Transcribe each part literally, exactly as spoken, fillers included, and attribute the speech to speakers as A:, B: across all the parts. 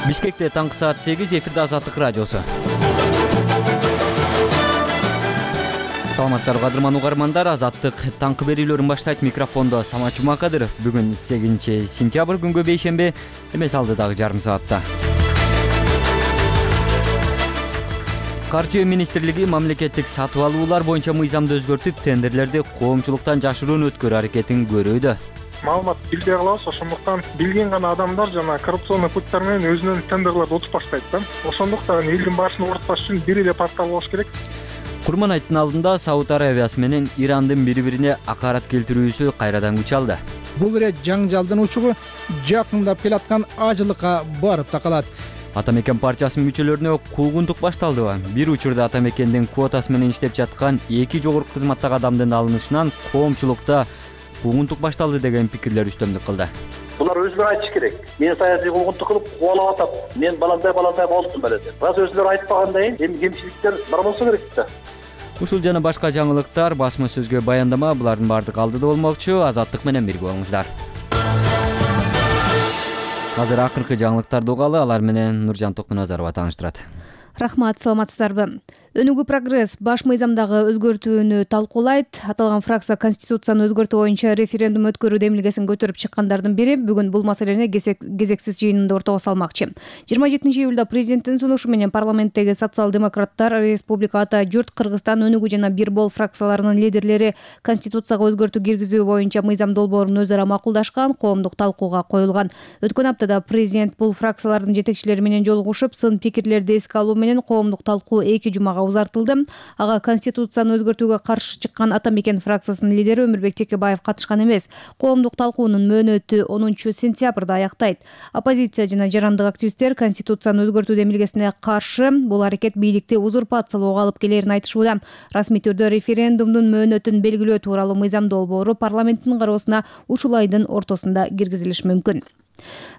A: Бишкекте таңкы саат сегиз, эфирде Азаттык радиосу. Саламатсыздарбы кадырман угармандар, Азаттык таңкы берүүлөрүн баштайт. Микрофондо Самат Жумакадыров. Бүгүн сегизинчи сентябрь, күнгө бейшемби, эмес алдыдагы жарым саатта. Каржы министрлиги мамлекеттик сатып алуулар боюнча мыйзамды өзгөртүп, тендерлерди коомчулуктан жашыруун өткөрүү аракетин көрүүдө.
B: Маалымат билбей калабыз, ошондуктан билген гана адамдар жана коррупционный путтар менен өзүнүн тендерлерди утуп баштайт да. Ошондуктан элдин башын оорутпаш үчүн бир эле портал болуш керек.
A: Курман айттын алдында Сауд Арабиясы менен Ирандын бири-бирине акарат келтирүүсү кайрадан күч алды.
C: Бул ирет жаңжалдын учугу жакындап келаткан ажылыкка барып такалат.
A: Атамекен партиясынын мүчөлөрүнө куугунтук башталдыбы? Бир учурда Атамекендин квотасы менен иштеп жаткан эки жогорку кызматтагы адамдын алынышынан коомчулукта куугунтук башталды деген пикирлер үстөмдүк кылды.
D: Булар өзүлөр айтыш керек. Мен саясий куугунтук кылып кубалап атам. Мен баландай баландай болдум беле деп. Раз өзүлөр айтпагандай, эми кемчиликтер бар болсо керек да.
A: Ушул жана башка жаңылыктар, басма сөзгө баяндама, булардын баардыгы алдыда болмокчу. Азаттык менен бирге болуңуздар. Азыр акыркы жаңылыктарды угалы, алар менен Нуржан Токуназарова тааныштырат.
E: Рахмат, саламатсыздарбы? Өнүгүү прогресс баш мыйзамдагы өзгөртүүнү талкуулайт. Аталган фракция Конституцияны өзгөртүү боюнча референдум өткөрүү демилгесин көтөрүп чыккандардын бири бүгүн бул маселени кезексиз жыйынында ортого салмакчы. жыйырма жетинчи июлда президенттин сунушу менен парламенттеги социал-демократтар, Республика Ата Журт, Кыргызстан, Өнүгүү жана Бир Бол фракцияларынын лидерлери Конституцияга өзгөртүү киргизүү боюнча мыйзам долбоорун өзара макулдашкан, коомдук талкууга коюлган. Өткөн аптада президент бул фракциялардын жетекчилери менен жолугушуп, сын пикирлерди эске алуу менен коомдук талкуу эки жумага узартылды. Ага Конституцияны өзгөртүүгө каршы чыккан Атамекен фракциясынын лидери Өмүрбек Текебаев катышкан эмес. Коомдук талкуунун мөөнөтү онунчу сентябрда аяктайт. Оппозиция жана жарандык активисттер Конституцияны өзгөртүү демилгесине каршы бул аракет бийликти узурпациялоого алып келерин айтышууда. Расмий түрдө референдумдун мөөнөтүн белгилөө тууралуу мыйзам долбоору парламенттин кароосуна ушул айдын ортосунда киргизилиши мүмкүн.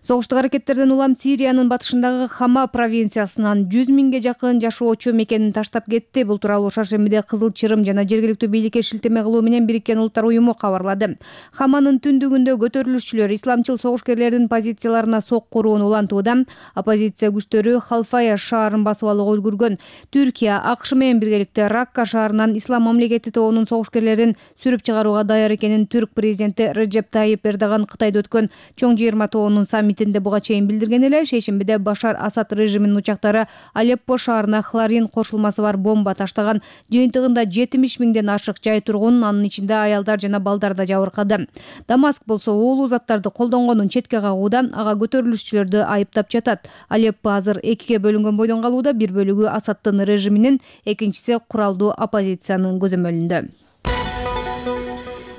E: Согуштук аракеттерден улам Сириянын батышындагы Хама провинциясынан жүз миңге жакын жашоочу мекенин таштап кетти. Бул тууралуу шаршембиде Кызыл Чырым жана жергиликтүү бийликке шилтеме кылуу менен Бириккен Улуттар уюму кабарлады. Хаманын түндүгүндө көтөрүлүшчүлөр исламчыл согушкерлердин позицияларына сок куруун улантууда. Оппозиция күчтөрү Халфая шаарын басып алууга үлгүргөн. Түркия АКШ менен биргеликте Ракка шаарынан Ислам мамлекети тобунун согушкерлерин сүрүп чыгарууга даяр экенин түрк президенти Реджеп Тайип Эрдоган Кытайда өткөн чоң жыйырма тобунун саммитинде буга чейин билдирген эле. Шейшембиде Башар Асад режиминин учактары Алеппо шаарына хлорин кошулмасы бар бомба таштаган. Жыйынтыгында жетимиш миңден ашык жай тургун, анын ичинде аялдар жана балдар да жабыркады. Дамаск болсо уулуу заттарды колдонгонун четке кагууда, ага көтөрүлүшчүлөрдү айыптап жатат. Алеппо азыр экиге бөлүнгөн бойдон калууда, бир бөлүгү Асадтын режиминин, экинчиси куралдуу оппозициянын көзөмөлүндө.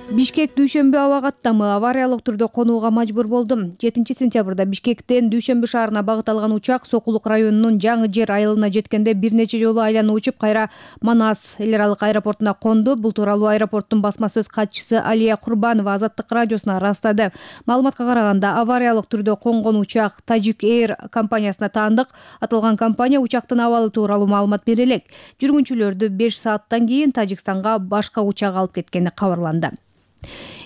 E: Бишкек дүйшөмбү аба каттамы авариялык түрдө конууга мажбур болду. жетинчи сентябрда Бишкектен Дүйшөмбү шаарына багыт алган учак Сокулук районунун Жаңы Жер айылына жеткенде бир нече жолу айланып учуп, кайра Манас эл аралык аэропортуна конду. Бул тууралуу аэропорттун басма сөз катчысы Алия Курбанова Азаттык радиосуна ырастады. Маалыматка караганда, авариялык түрдө конгон учак Tajik Air компаниясына таандык. Аталган компания учактын абалы тууралуу маалымат бере элек. Жүргүнчүлөрдү беш сааттан кийин Тажикстанга башка учак алып кеткени кабарланды.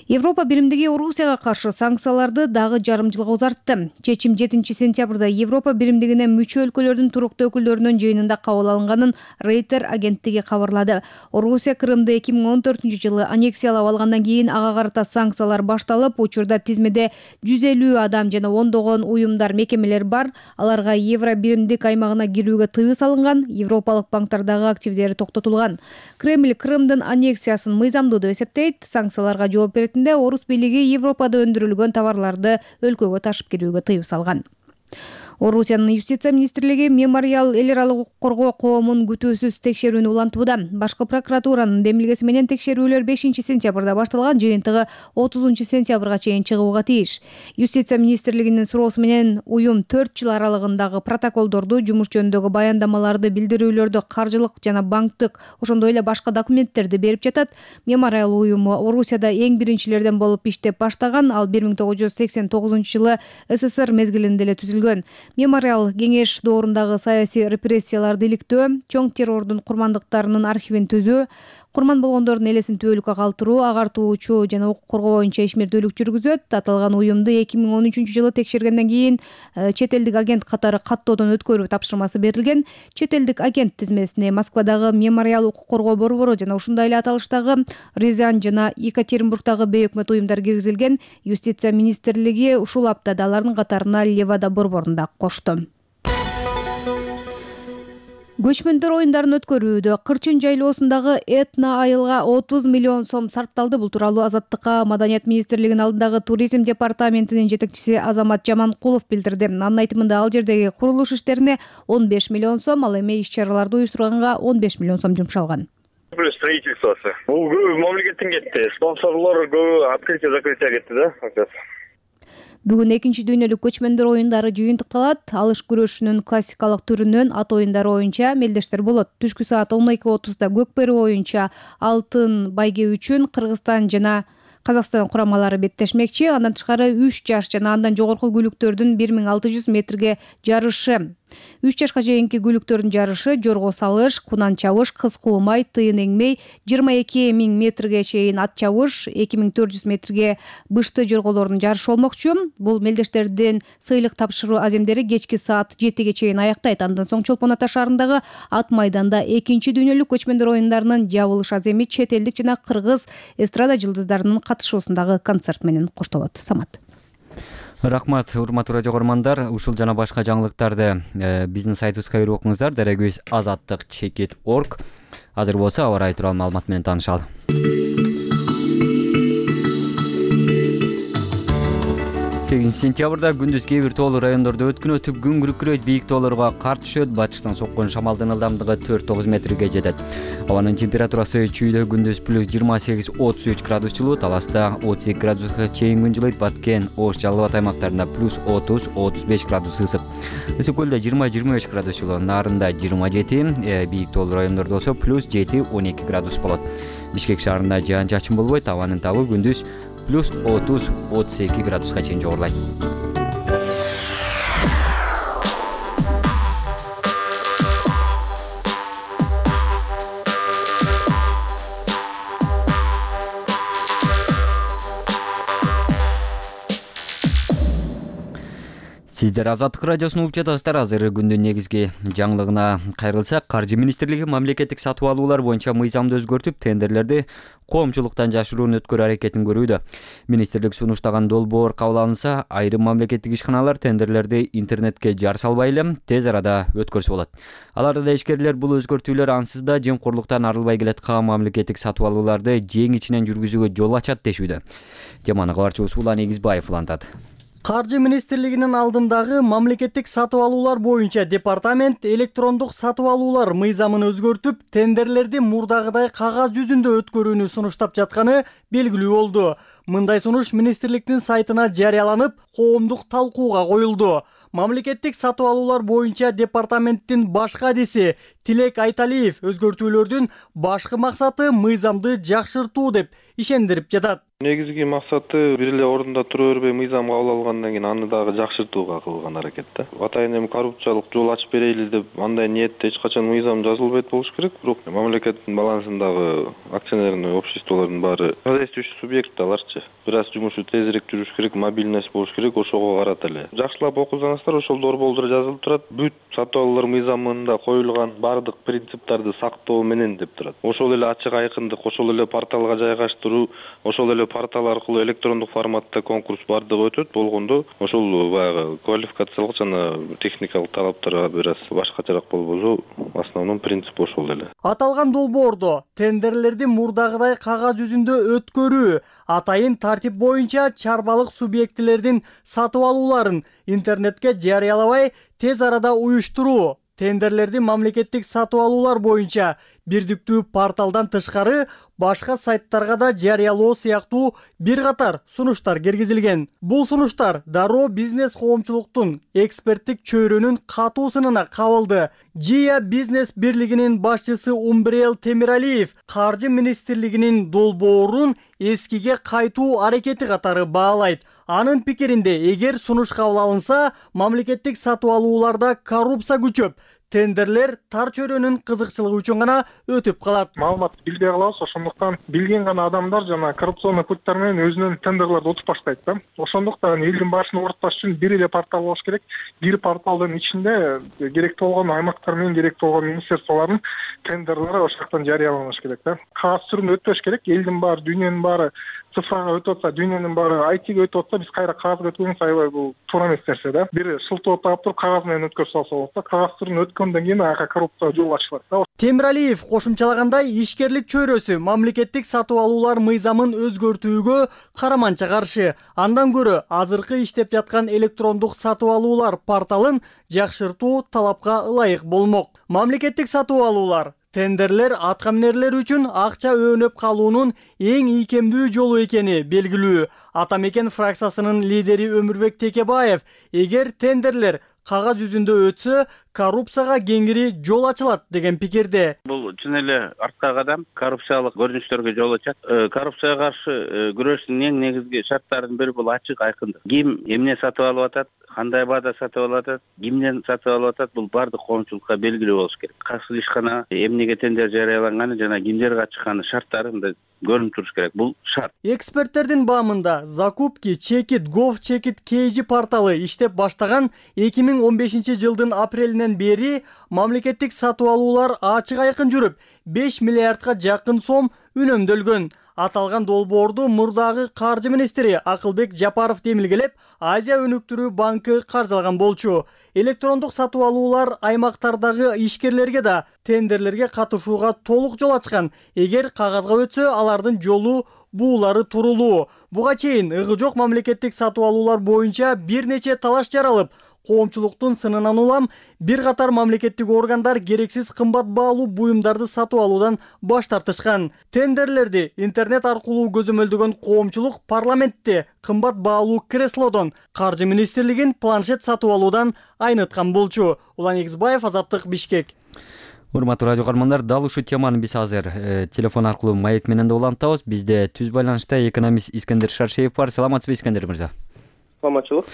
E: Европа биримдиги Орусияга каршы санкцияларды дагы жарым жылга узартты. Чечим жетинчи сентябрда Европа биримдигине мүчө өлкөлөрдүн туруктуу өкүлдөрүнүн жыйынында кабыл алынганын Рейтер агенттиги кабарлады. Орусия Крымды эки миң он төртүнчү жылы аннексиялап алгандан кийин ага карата санкциялар башталып, учурда тизмеде жүз элүү адам жана ондогон уюмдар, мекемелер бар. Аларга Евро биримдик аймагына кирүүгө тыюу салынган, европалык банктардагы активдери токтотулган. Кремль Крымдын аннексиясын мыйзамдуу деп эсептейт. Санкцияларга жооп беретинде Орус бийлиги Европада өндүрүлгөн товарларды өлкөгө ташып кирүүгө тыюу салган. Орусиянын юстиция министрлиги Мемориал эл аралык укук коргоо коомун күтүүсүз текшерүүнү улантууда. Башкы прокуратуранын демилгеси менен текшерүүлөр бешинчи сентябрда башталган, жыйынтыгы отузунчу сентябрга чейин чыгууга тийиш. Юстиция министрлигинин суроосу менен уюм төрт жыл аралыгындагы протоколдорду, жумуш жөнүндөгү баяндамаларды, билдирүүлөрдү, каржылык жана банктык, ошондой эле башка документтерди берип жатат. Мемориал уюму Орусияда эң биринчилерден болуп иштеп баштаган, ал бир миң тогуз жүз сексен тогузунчу жылы СССР мезгилинде эле түзүлгөн. Мемориал кеңеш доорундагы саясий репрессияларды иликтөө, чоң террордун курмандыктарынын архивин түзүү, Курман болгондордун элесин түбөлүккө калтыруу, агартуучу жана укук коргоо боюнча ишмердүүлүк жүргүзөт. Аталган уюмду эки миң он үчүнчү жылы текшергенден кийин чет элдик агент катары каттоодон өткөрүү тапшырмасы берилген. Чет элдик агент тизмесине Москвадагы Мемориал укук коргоо борбору жана ушундай эле аталыштагы Рязань жана Екатеринбургдагы бейөкмөт уюмдар киргизилген. Юстиция министрлиги ушул аптада алардын катарына Левада борборун да кошту. Көчмөндөр оюндарын өткөрүүдө Кырчын жайлоосундагы этно айылга отуз миллион сом сарпталды. Бул тууралуу Азаттыкка Маданият министрлигинин алдындагы туризм департаментинин жетекчиси Азамат Жаманкулов билдирди. Анын айтымында ал жердеги курулуш иштерине он беш миллион сом, ал эми иш-чараларды уюштурганга он беш миллион сом жумшалган.
F: Строительствосы. Бул көбү мамлекеттен кетти. Спонсорлор көбү открытие-закрытие кетти да.
E: Бүгүн экинчи дүйнөлүк көчмөндөр оюндары жыйынтыкталат. Алыш күрөшүнүн классикалык түрүнөн ат оюндары боюнча мелдештер болот. Түшкү саат он эки отузда көкбөрү боюнча алтын байге үчүн Кыргызстан жана Казакстан курамалары беттешмекчи. Андан тышкары үч жаш жана андан жогорку күлүктөрдүн бир миң алты жүз метрге жарышы. үч жашка чейинки күлүктөрдүн жарышы жорго салыш, кунан чабыш, кыз куумай, тыйын эңмей, жыйырма эки миң метрге чейин ат чабыш, эки миң төрт жүз метрге бышты жорголордун жарышы болмокчу. Бул мелдештердин сыйлык тапшыруу аземдери кечки саат жетиге чейин аяктайт. Андан соң Чолпон Ата шаарындагы ат майданда экинчи дүйнөлүк көчмөндөр оюндарынын жабылыш аземи чет элдик жана кыргыз эстрада жылдыздарынын катышуусундагы концерт менен коштолот. Самат.
A: Рахмат, урматтуу радио көрөрмандар. Ушул жана башка жаңылыктарды биздин сайтыбызга кирип окуңуздар. Дарегибиз азаттык чекит точка орг. Азыр болсо аба ырайы тууралуу маалымат менен таанышалы. сегизинчи сентябрда күндүз кээ бир тоолуу райондордо өткүн өтүп күн күркүрөйт, бийик тоолорго кар түшөт. Батыштан соккон шамалдын ылдамдыгы төрт тогуз метрге жетет. Абанын температурасы чүйдө күндүз плюс жыйырма сегиз отуз үч градус жылуу, таласта отуз эки градуска чейин күн жылыйт. Баткен, Ош, Жалал Абад аймактарында плюс отуз отуз беш градус ысык. Ысык көлдө жыйырма жыйырма беш градус жылуу, Нарында жыйырма жети, бийик тоолуу райондордо болсо плюс жети он эки градус болот. Бишкек шаарында жаан чачын болбойт, абанын табы күндүз плюс отуз отуз эки градуска чейин жогорулайт. Сиздер Азаттык радиосун угуп жатасыздар. Азыр күндүн негизги жаңылыгына кайрылсак, Каржы министрлиги мамлекеттик сатып алуулар боюнча мыйзамды өзгөртүп, тендерлерди коомчулуктан жашыруун өткөрүү аракетин көрүүдө. Министрлик сунуштаган долбоор кабыл алынса, айрым мамлекеттик ишканалар тендерлерди интернетке жар салбай эле тез арада өткөрсө болот. Аларда да ишкерлер бул өзгөртүүлөр ансыз да жемкорлуктан арылбай келаткан мамлекеттик сатып алууларды жең ичинен жүргүзүүгө жол ачат дешүүдө. Теманы кабарчыбыз Улан Эгизбаев улантат.
G: Каржы министрлигинин алдындагы мамлекеттик сатып алуулар боюнча департамент электрондук сатып алуулар мыйзамын өзгөртүп, тендерлерди мурдагыдай кагаз жүзүндө өткөрүүнү сунуштап жатканы белгилүү болду. Мындай сунуш министрликтин сайтына жарыяланып, коомдук талкууга коюлду. Мамлекеттик сатып алуулар боюнча департаменттин баш кадиси Тилек Айталиев өзгөртүүлөрдүн башкы максаты мыйзамды жакшыртуу деп ишендирип жатат.
H: Негизги максаты бир эле ордунда тура бербей мыйзам кабыл алгандан кийин аны дагы жакшыртууга кылган аракет да. Атайын эми коррупциялык жол ачып берели деп андай ниетте эч качан мыйзам жазылбайт болуш керек. Бирок мамлекеттин балансындагы акционерный обществолордун баары хозяйствующий субъект аларчы. Бир аз жумушу тезирээк жүрүш керек, мобильность болуш керек, ошого карата эле. Жакшылап окусаңыздар, ошол долбоордо жазылып турат. Бүт сатып алуулар мыйзамында коюлган бардык принциптарды сактоо менен деп турат. Ошол эле ачык айкындык, ошол эле порталга жайгаштыруу, ошол эле портал аркылуу электрондук форматта конкурс бардыгы өтөт болгондо, ошол баягы квалификациялык жана техникалык талаптарга бир аз башкачараак болбосо, основной принцип ошол эле.
G: Аталган долбоордо тендерлерди мурдагыдай кагаз жүзүндө өткөрүү, атайын тартип боюнча чарбалык субъектилердин сатып алууларын интернетке жарыялабай тез арада уюштуруу, тендерлерди мамлекеттик сатып алуулар боюнча бирдиктүү порталдан тышкары башка сайттарга да жарыялоо сыяктуу бир катар сунуштар киргизилген. Бул сунуштар дароо бизнес коомчулуктун эксперттик чөйрөнүн катуу сынына кабылды. Жия бизнес бирлигинин башчысы Умбрел Темиралиев Каржы министрлигинин долбоорун эскиге кайтуу аракети катары баалайт. Анын пикиринде, эгер сунуш кабыл алынса, мамлекеттик сатып алууларда коррупция күчөп, тендерлер тар чөйрөнүн кызыкчылыгы үчүн гана өтүп калат.
B: Маалыматты билбей калабыз, ошондуктан билген гана адамдар жана коррупционный путтар менен өзүнүн тендерлерди утуп баштайт да. Ошондуктан элдин башын оорутпаш үчүн бир эле портал болуш керек. Бир порталдын ичинде керектүү болгон аймактар менен керектүү болгон министрликтин тендерлери ошол жактан жарыяланыш керек да. Кагаз түрүндө өтпөш керек. Элдин баары, дүйнөнүн баары цифрага өтүп атса, дүйнөнүн баары ай тиге өтүп атса, биз кайра кагазга өткөнүбүз аябай бул туура эмес нерсе да. Бир шылтоо таап туруп кагаз менен өткөрүп салса болот да. Кагаз түрүндө өткөндөн кийин ага коррупцияга жол ачылат да.
G: Темиралиев кошумчалагандай, ишкерлик чөйрөсү мамлекеттик сатып алуулар мыйзамын өзгөртүүгө караманча каршы. Андан көрө азыркы иштеп жаткан электрондук сатып алуулар порталын жакшыртуу талапка ылайык болмок. Мамлекеттик сатып алуулар тендерлер аткаминерлер үчүн акча өөнөп калуунун эң ийкемдүү жолу экени белгилүү. Ата мекен фракциясынын лидери Өмүрбек Текебаев, эгер тендерлер кагаз жүзүндө өтсө, коррупцияга кеңири жол ачылат деген пикирде.
I: Бул чын эле арткы кадам коррупциялык көрүнүштөргө жол ачат. Коррупцияга каршы күрөштүн эң негизги шарттарынын бири бул ачык айкындык. Ким эмне сатып алып атат, кандай баада сатып алып атат, кимден сатып алып атат, бул баардык коомчулукка белгилүү болуш керек. Кайсы ишкана эмнеге тендер жарыяланганы жана кимдер катышканы шарттары мындай көрүнүп туруш керек. Бул шарт.
G: Эксперттердин баамында закупки чекит гов чекит kg порталы иштеп баштаган эки миң он бешинчи жылдын апрелинен бери мамлекеттик сатып алуулар ачык айкын жүрүп, беш миллиардка жакын сом үнөмдөлгөн. Аталган долбоорду мурдагы каржы министри Акылбек Жапаров демилгелеп, Азия өнүктүрүү банкы каржылаган болчу. Электрондук сатып алуулар аймактардагы ишкерлерге да тендерлерге катышууга толук жол ачкан. Эгер кагазга өтсө, алардын жолу буулары турулуу. Буга чейин ыгы жок мамлекеттик сатып алуулар боюнча бир нече талаш жаралып, коомчулуктун сынынан улам бир катар мамлекеттик органдар керексиз кымбат баалуу буюмдарды сатып алуудан баш тартышкан. Тендерлерди интернет аркылуу көзөмөлдөгөн коомчулук парламентте кымбат баалуу креслодон, каржы министрлигин планшет сатып алуудан айныткан болчу. Улан Эгизбаев, Азаттык, Бишкек.
A: Урматтуу радио каармандар, дал ушул теманы биз азыр э, телефон аркылуу маек менен да улантабыз. Бизде түз байланышта экономист Искендер Шаршеев бар. Саламатсызбы, Искендер мырза?
J: Саламатчылык.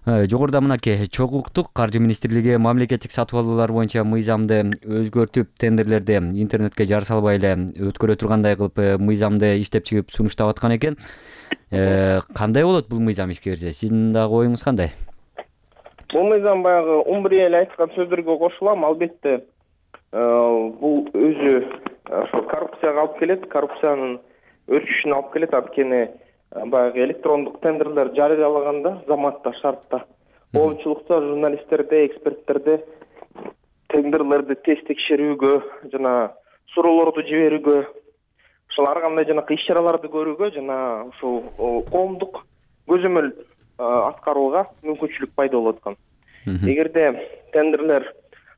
A: Жогоруда мынакей чогуу уктук, каржы министрлиги мамлекеттик сатып алуулар боюнча мыйзамды өзгөртүп, тендерлерди интернетке жар салбай эле өткөрө тургандай кылып мыйзамды иштеп чыгып сунуштап аткан экен. Кандай болот бул мыйзам ишке кирсе? Сиздин дагы оюңуз кандай?
J: Бул мыйзам баягы Умбри эле айткан сөздөргө кошулам. Албетте бул өзү ошо коррупцияга алып келет, коррупциянын өрчүшүнө алып келет. Анткени баягы электрондук тендерлер жарыялаганда, заматта, шартта коомчулукта, журналисттерде, эксперттерде тендерлерди тез текшерүүгө жана суроолорду жиберүүгө, ошол ар кандай жанакы иш-чараларды көрүүгө жана ушул коомдук көзөмөл аткарууга мүмкүнчүлүк пайда болуп аткан. Эгерде тендерлер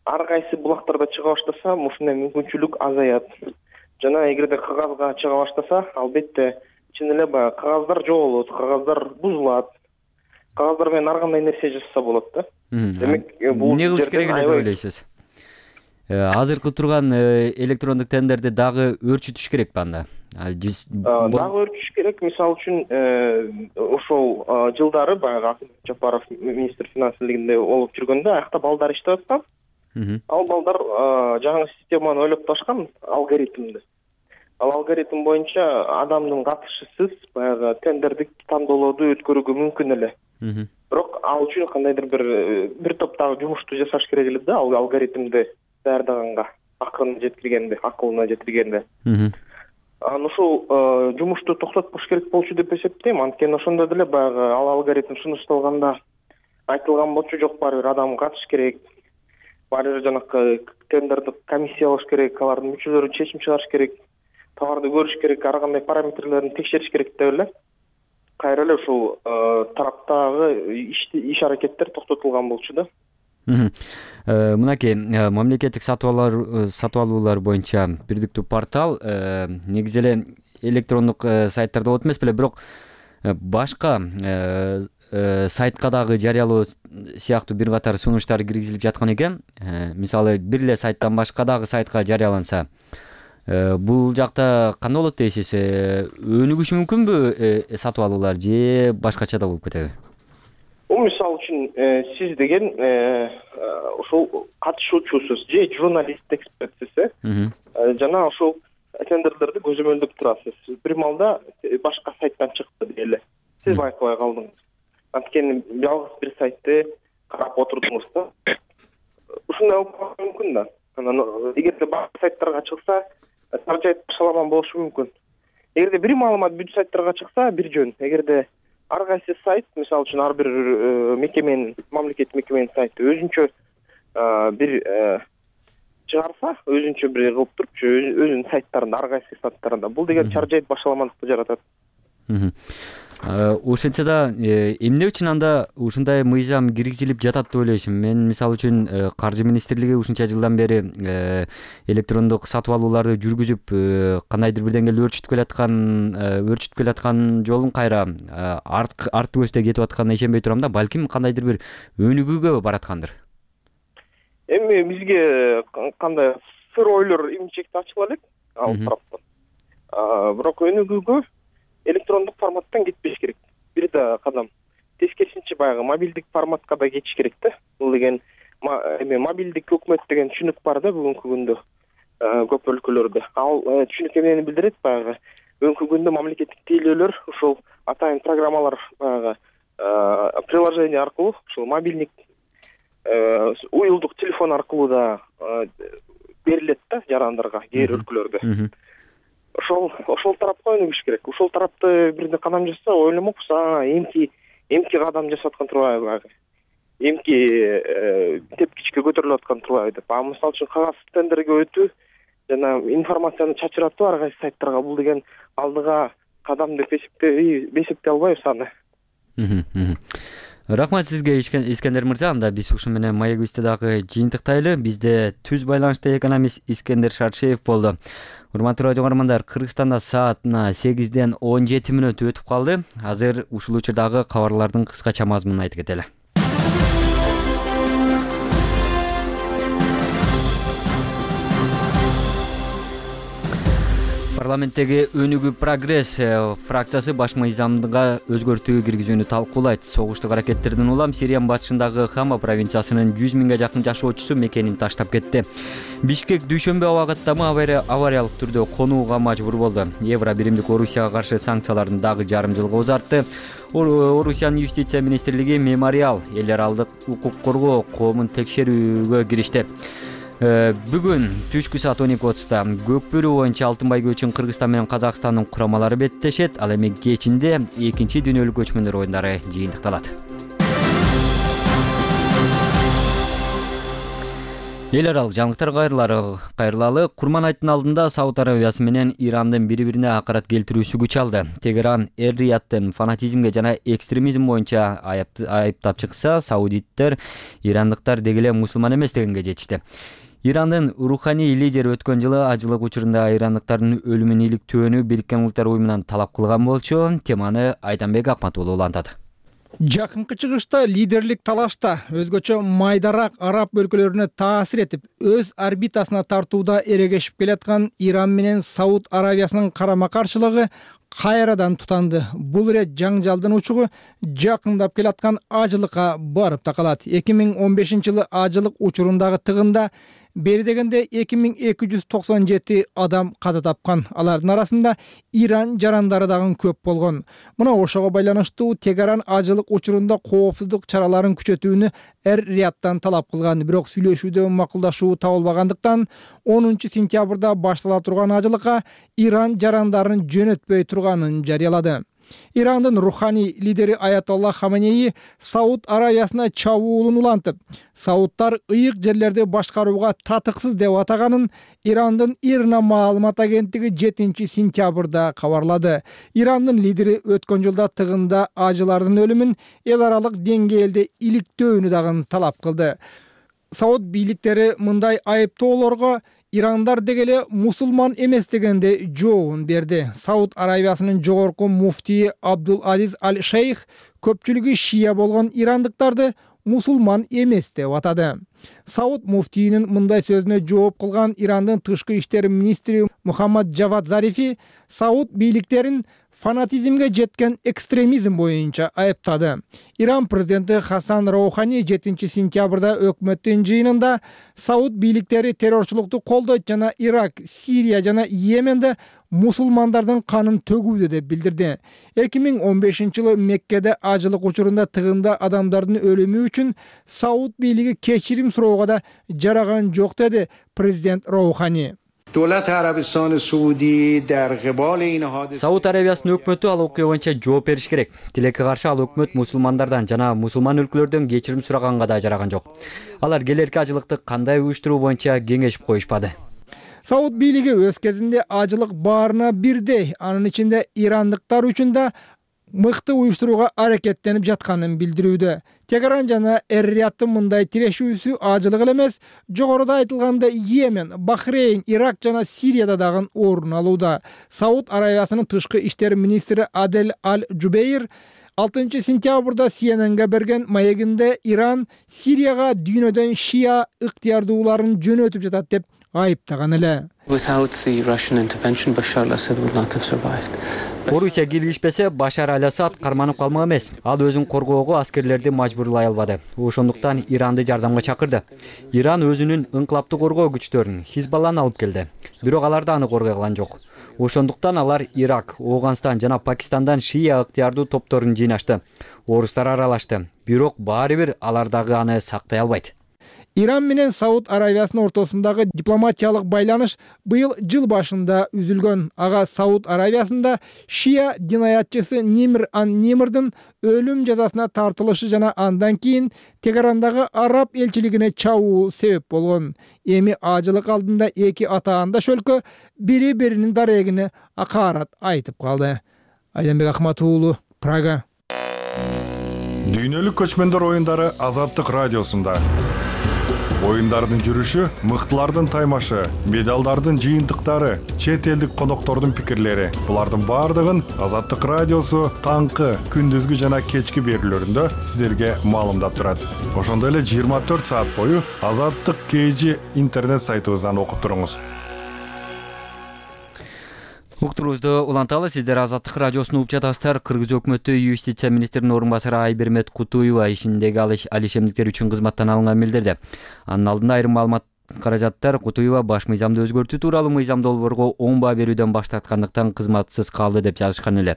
J: ар кайсы булактарда чыга баштаса, ушундай мүмкүнчүлүк азаят. Жана эгерде кагазга чыга баштаса, албетте чын эле баягы кагаздар жоголот, кагаздар бузулат. Кагаздар менен ар кандай нерсе жасаса болот да.
A: Демек, бул эмне кылыш керек эле деп ойлойсуз? Азыркы турган электрондук тендерди дагы өрчүтүш керекпи анда?
J: Дагы өрчүтүш керек. Мисалы үчүн, ошол жылдары баягы Акылбек Жапаров министр финансылыгында болуп жүргөндө аякта балдар иштеп аткан. Ал балдар жаңы системаны ойлоп ташкан, алгоритмди. Ал алгоритм боюнча адамдын катышысыз баягы тендерди тандоолорду өткөрүүгө мүмкүн эле. Бирок ал үчүн кандайдыр бир бир топтогу жумушту жасаш керек эле да, ал алгоритмди даярдаганга, акылына жеткиргенде, акылына жеткиргенде. Анан ушул жумушту токтотпош керек болчу деп эсептейм. Анткени ошондо деле баягы ал алгоритм сунушталганда айтылган болчу, жок баары бир адам катыш керек. Баары бир жанакы тендерди комиссия алыш керек, алардын мүчөлөрү чечим чыгарыш керек. Товарды көрүш керек, ар кандай параметрлерин текшериш керек деп эле. Кайра эле ушул тараптагы иш аракеттер токтотулган болчу да.
A: Мынакей мамлекеттик сатып алуулар боюнча бирдиктүү портал негизи эле электрондук сайттарда болот эмес беле, бирок башка сайтка дагы жарыялоо сыяктуу бир катар сунуштар киргизилип жаткан экен. Мисалы, бир эле сайттан башка дагы сайтка жарыяланса, бул жакта кандай болот дейсиз? Өнүгүшү мүмкүнбү сатып алуулар же башкача да болуп кетеби?
J: бул мисалы үчүн сиз деген ушул катышуучусуз же журналист экспертсиз э жана ушул тендерлерди көзөмөлдөп турасыз. Бир маалда башка сайттан чыкты дейли. Сиз байкабай калдыңыз. Анткени жалгыз бир сайтты карап отурдуңуз да. Ушундай болушу мүмкүн да. Анан эгерде башка сайттарга чыкса, таржайт башаламан болушу мүмкүн. Эгерде бир маалымат бүт сайттарга чыкса, бир жөн. Эгерде ар кайсы сайт, мисалы үчүн ар бир мекеменин, мамлекеттик мекеменин сайты өзүнчө бир чыгарса, өзүнчө бир кылып туруп, өзүнүн сайттарында, ар кайсы сайттарында бул деген чаржайт башаламандыкты жаратат.
A: Ошентсе да эмне үчүн анда ушундай мыйзам киргизилип жатат деп ойлойсуң? Мен мисалы үчүн Каржы министрлиги ушунча жылдан бери электрондук сатып алууларды жүргүзүп, кандайдыр бир деңгээлде өөрчүтүп келаткан, өөрчүтүп келаткан жолун кайра арткы көздөй кетип атканына ишенбей турам да, балким кандайдыр бир өнүгүүгө бараткандыр.
J: Эми бизге кандай сыр ойлор имчекти ачыла элек ал тараптан. Бирок өнүгүүгө электрондук форматтан кетпеш керек. Бир да кадам тескерисинче баягы мобилдик форматка да кетиш керек да. Бул деген эми мобилдик өкмөт деген түшүнүк бар да бүгүнкү күндө көп өлкөлөрдө. Ал түшүнүк эмнени билдирет? Баягы бүгүнкү күндө мамлекеттик тейлөөлөр ушул атайын программалар баягы приложение аркылуу, ушул мобилдик уюлдук телефон аркылуу да берилет да жарандарга кээ бир өлкөлөрдө. Ошол ошол тарапка өнүгүш керек. Ошол тарапты бирде кадам жасаса, ойломокпуз, а эмки эмки кадам жасап аткан турбайбы баягы. Эмки тепкичке көтөрүлүп аткан турбайбы деп. А мисалы үчүн кагаз тендерге өтүү жана информацияны чачыратуу ар кайсы сайттарга бул деген алдыга кадам деп эсептей албайбыз аны.
A: Рахмат сизге Искендер мырза. Анда биз ушу менен маегибизди дагы жыйынтыктайлы. Бизде түз байланышта экономист Искендер Шаршеев болду. Урматтуу радио көрөрмандар, Кыргызстанда саатына сегизден он жети мүнөт өтүп калды. Азыр ушул учурдагы кабарлардын кыскача мазмунун айтып кетели. Парламенттеги Өнүгүү Прогресс фракциясы баш мыйзамга өзгөртүү киргизүүнү талкуулайт. Согуштук аракеттердин улам Сириянын батышындагы Хама провинциясынын жүз миңге жакын жашоочусу мекенин таштап кетти. Бишкек дүйшөмбү абагаттамы авариялык түрдө конууга мажбур болду. Евро биримдик Орусияга каршы санкцияларын дагы жарым жылга узартты. Орусиянын юстиция министрлиги мемориал эл аралык укук коргоо коомун текшерүүгө киришти. Бүгүн түшкү саат он эки отузда көк бөрү боюнча алтын байгө үчүн Кыргызстан менен Казакстандын курамалары беттешет. Ал эми кечинде экинчи дүйнөлүк көчмөндөр оюндары жыйынтыкталат. Эл аралык жаңылыктар кайрылалы. Курман айттын алдында Сауд Арабиясы менен Ирандын бири-бирине акарат келтирүүсү күч алды. Тегеран эр-Рияттын фанатизмге жана экстремизм боюнча айыптап чыкса, саудиттер ирандыктар деги эле мусулман эмес дегенге жетишти. Ирандын руханий лидери өткөн жылы ажылык учурунда ирандыктардын өлүмүн иликтөөнү Бириккен Улуттар уюмунан талап кылган болчу. Теманы Айданбек Акматуулу улантат.
C: Жакынкы чыгышта лидерлик талашта өзгөчө майдарак араб өлкөлөрүнө таасир этип, өз орбитасына тартууда эрегешип келаткан Иран менен Сауд Арабиясынын карама-каршылыгы кайрадан тутанды. Бул ирет жаңжалдын учугу жакындап келаткан ажылыкка барып такалат. эки миң он бешинчи жылы ажылык учурундагы тыгында бери дегенде эки миң эки жүз токсон жети адам каза тапкан. Алардын арасында Иран жарандары дагы көп болгон. Мына ошого байланыштуу Тегеран ажылык учурунда коопсуздук чараларын күчөтүүнү эр-Рияттан талап кылган. Бирок сүйлөшүүдө макулдашуу табылбагандыктан онунчу сентябрда баштала турган ажылыкка Иран жарандарын жөнөтпөй турганын жарыялады. Ирандын руханий лидери Аятолла Хаменеи Сауд Арабиясына чабуулун улантып, саудтар ыйык жерлерди башкарууга татыксыз деп атаганын Ирандын Ирна маалымат агенттиги жетинчи сентябрда кабарлады. Ирандын лидери өткөн жылда тыгында ажылардын өлүмүн эл аралык деңгээлде иликтөөнү дагы талап кылды. Сауд бийликтери мындай айыптоолорго Ирандар деги эле мусулман эмес дегенде жообун берди. Сауд Арабиясынын жогорку муфтии Абдул Азиз Аль-Шейх көпчүлүгү шия болгон ирандыктарды мусулман эмес деп атады. Сауд муфтийинин мындай сөзүнө жооп кылган Ирандын тышкы иштер министри Мухаммад Джавад Зарифи Сауд бийликтерин фанатизмге жеткен экстремизм боюнча айыптады. Иран президенти Хасан Роухани жетинчи сентябрда өкмөттүн жыйынында Сауд бийликтери террорчулукту колдойт жана Ирак, Сирия жана Йеменде мусулмандардын канын төгүүдө деп билдирди. эки миң он бешинчи жылы Меккеде ажылык учурунда тыгында адамдардын өлүмү үчүн Сауд бийлиги кечирим суроого да жараган жок деди президент Роухани.
A: Сауд Арабиясынын өкмөтү ал окуя боюнча жооп бериш керек. Тилекке каршы ал өкмөт мусулмандардан жана мусулман өлкөлөрдөн кечирим сураганга да жараган жок. Алар келерки ажылыкты кандай уюштуруу боюнча кеңешип коюшпады.
C: Сауд бийлиги өз кезинде ажылык баарына бирдей, анын ичинде ирандыктар үчүн да мыкты уюштурууга аракеттенип жатканын билдирүүдө. Тегеран жана Эр-Рияттын мындай тирешүүсү ажылык эле эмес, жогоруда айтылгандай Йемен, Бахрейн, Ирак жана Сирияда дагы орун алууда. Сауд Арабиясынын тышкы иштер министри Адель Аль-Жубейр алтынчы сентябрда Си Эн Энге берген маегинде Иран Сирияга дүйнөдөн шия ыктыярдууларын жөнөтүп жатат деп айыптаган эле.
A: Орусия киргизбесе Башар Аль-Асад карманып калмак эмес. Ал өзүн коргоого аскерлерди мажбурлай албады. Ошондуктан Иранды жардамга чакырды. Иран өзүнүн инкылаптуу коргоо күчтөрүн Хизбалланы алып келди. Бирок алар да аны коргой алган жок. Ошондуктан алар Ирак, Ооганстан жана Пакистандан шия ыктыярдуу топторун жыйнашты. Орустар аралашты. Бирок баары бир алар дагы аны сактай албайт.
C: Иран менен Сауд Арабиясынын ортосундагы дипломатиялык байланыш быйыл жыл башында үзүлгөн. Ага Сауд Арабиясында шия динаятчысы Нимр ан-Нимрдын өлүм жазасына тартылышы жана андан кийин Тегерандагы араб элчилигине чабуул себеп болгон. Эми ажылык алдында эки атаандаш өлкө бири биринин дарегине акаарат айтып калды. Айданбек Ахмат уулу, Прага.
K: Дүйнөлүк көчмөндөр оюндары Азаттык радиосунда. Оюндардын жүрүшү, мыктылардын таймашы, медалдардын жыйынтыктары, чет элдик коноктордун пикирлери. Булардын баардыгын Азаттык радиосу таңкы, күндүзгү жана кечки берүүлөрүндө сиздерге маалымдап турат. Ошондой эле жыйырма төрт саат бою Азаттык кей жи интернет сайтыбыздан окуп туруңуз.
A: Уктуруубузду уланталы. Сиздер Азаттык радиосун угуп жатасыздар. Кыргыз өкмөтү юстиция министринин орун басары Айбермет Кутуева ишиндеги алыш алишемдиктер үчүн кызматтан алынган билдирди. Анын алдында айрым маалымат каражаттар Кутуева баш мыйзамды өзгөртүү тууралуу мыйзам долбоорго оң баа берүүдөн баш тарткандыктан кызматсыз калды деп жазышкан эле.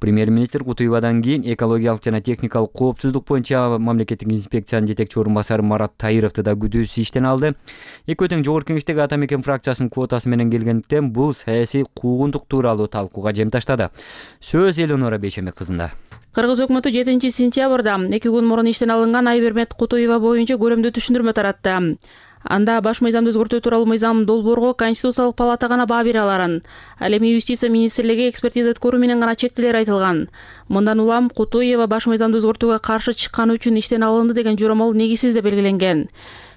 A: Премьер-министр Кутуевадан кийин экологиялык жана техникалык коопсуздук боюнча мамлекеттик инспекциянын жетекчи орун басары Марат Таировду да күдүүсүз иштен алды. Экөө тең жогорку кеңештеги Ата Мекен фракциясынын квотасы менен келгендиктен бул саясий куугунтук тууралуу талкууга жем таштады. Сөз Элонора Бейшембек кызында.
L: Кыргыз өкмөтү жетинчи сентябрда эки күн мурун иштен алынган Айбермет Кутуева боюнча көрөмдүү түшүндүрмө таратты. Анда баш мыйзамды өзгөртүү тууралуу мыйзам долбоорго Конституциялык палата гана баа бере аларын, ал эми юстиция министрлиги экспертиза өткөрүү менен гана чектелер айтылган. Мындан улам Кутуева баш мыйзамды өзгөртүүгө каршы чыкканы үчүн иштен алынды деген жоромол негизсиз деп белгиленген.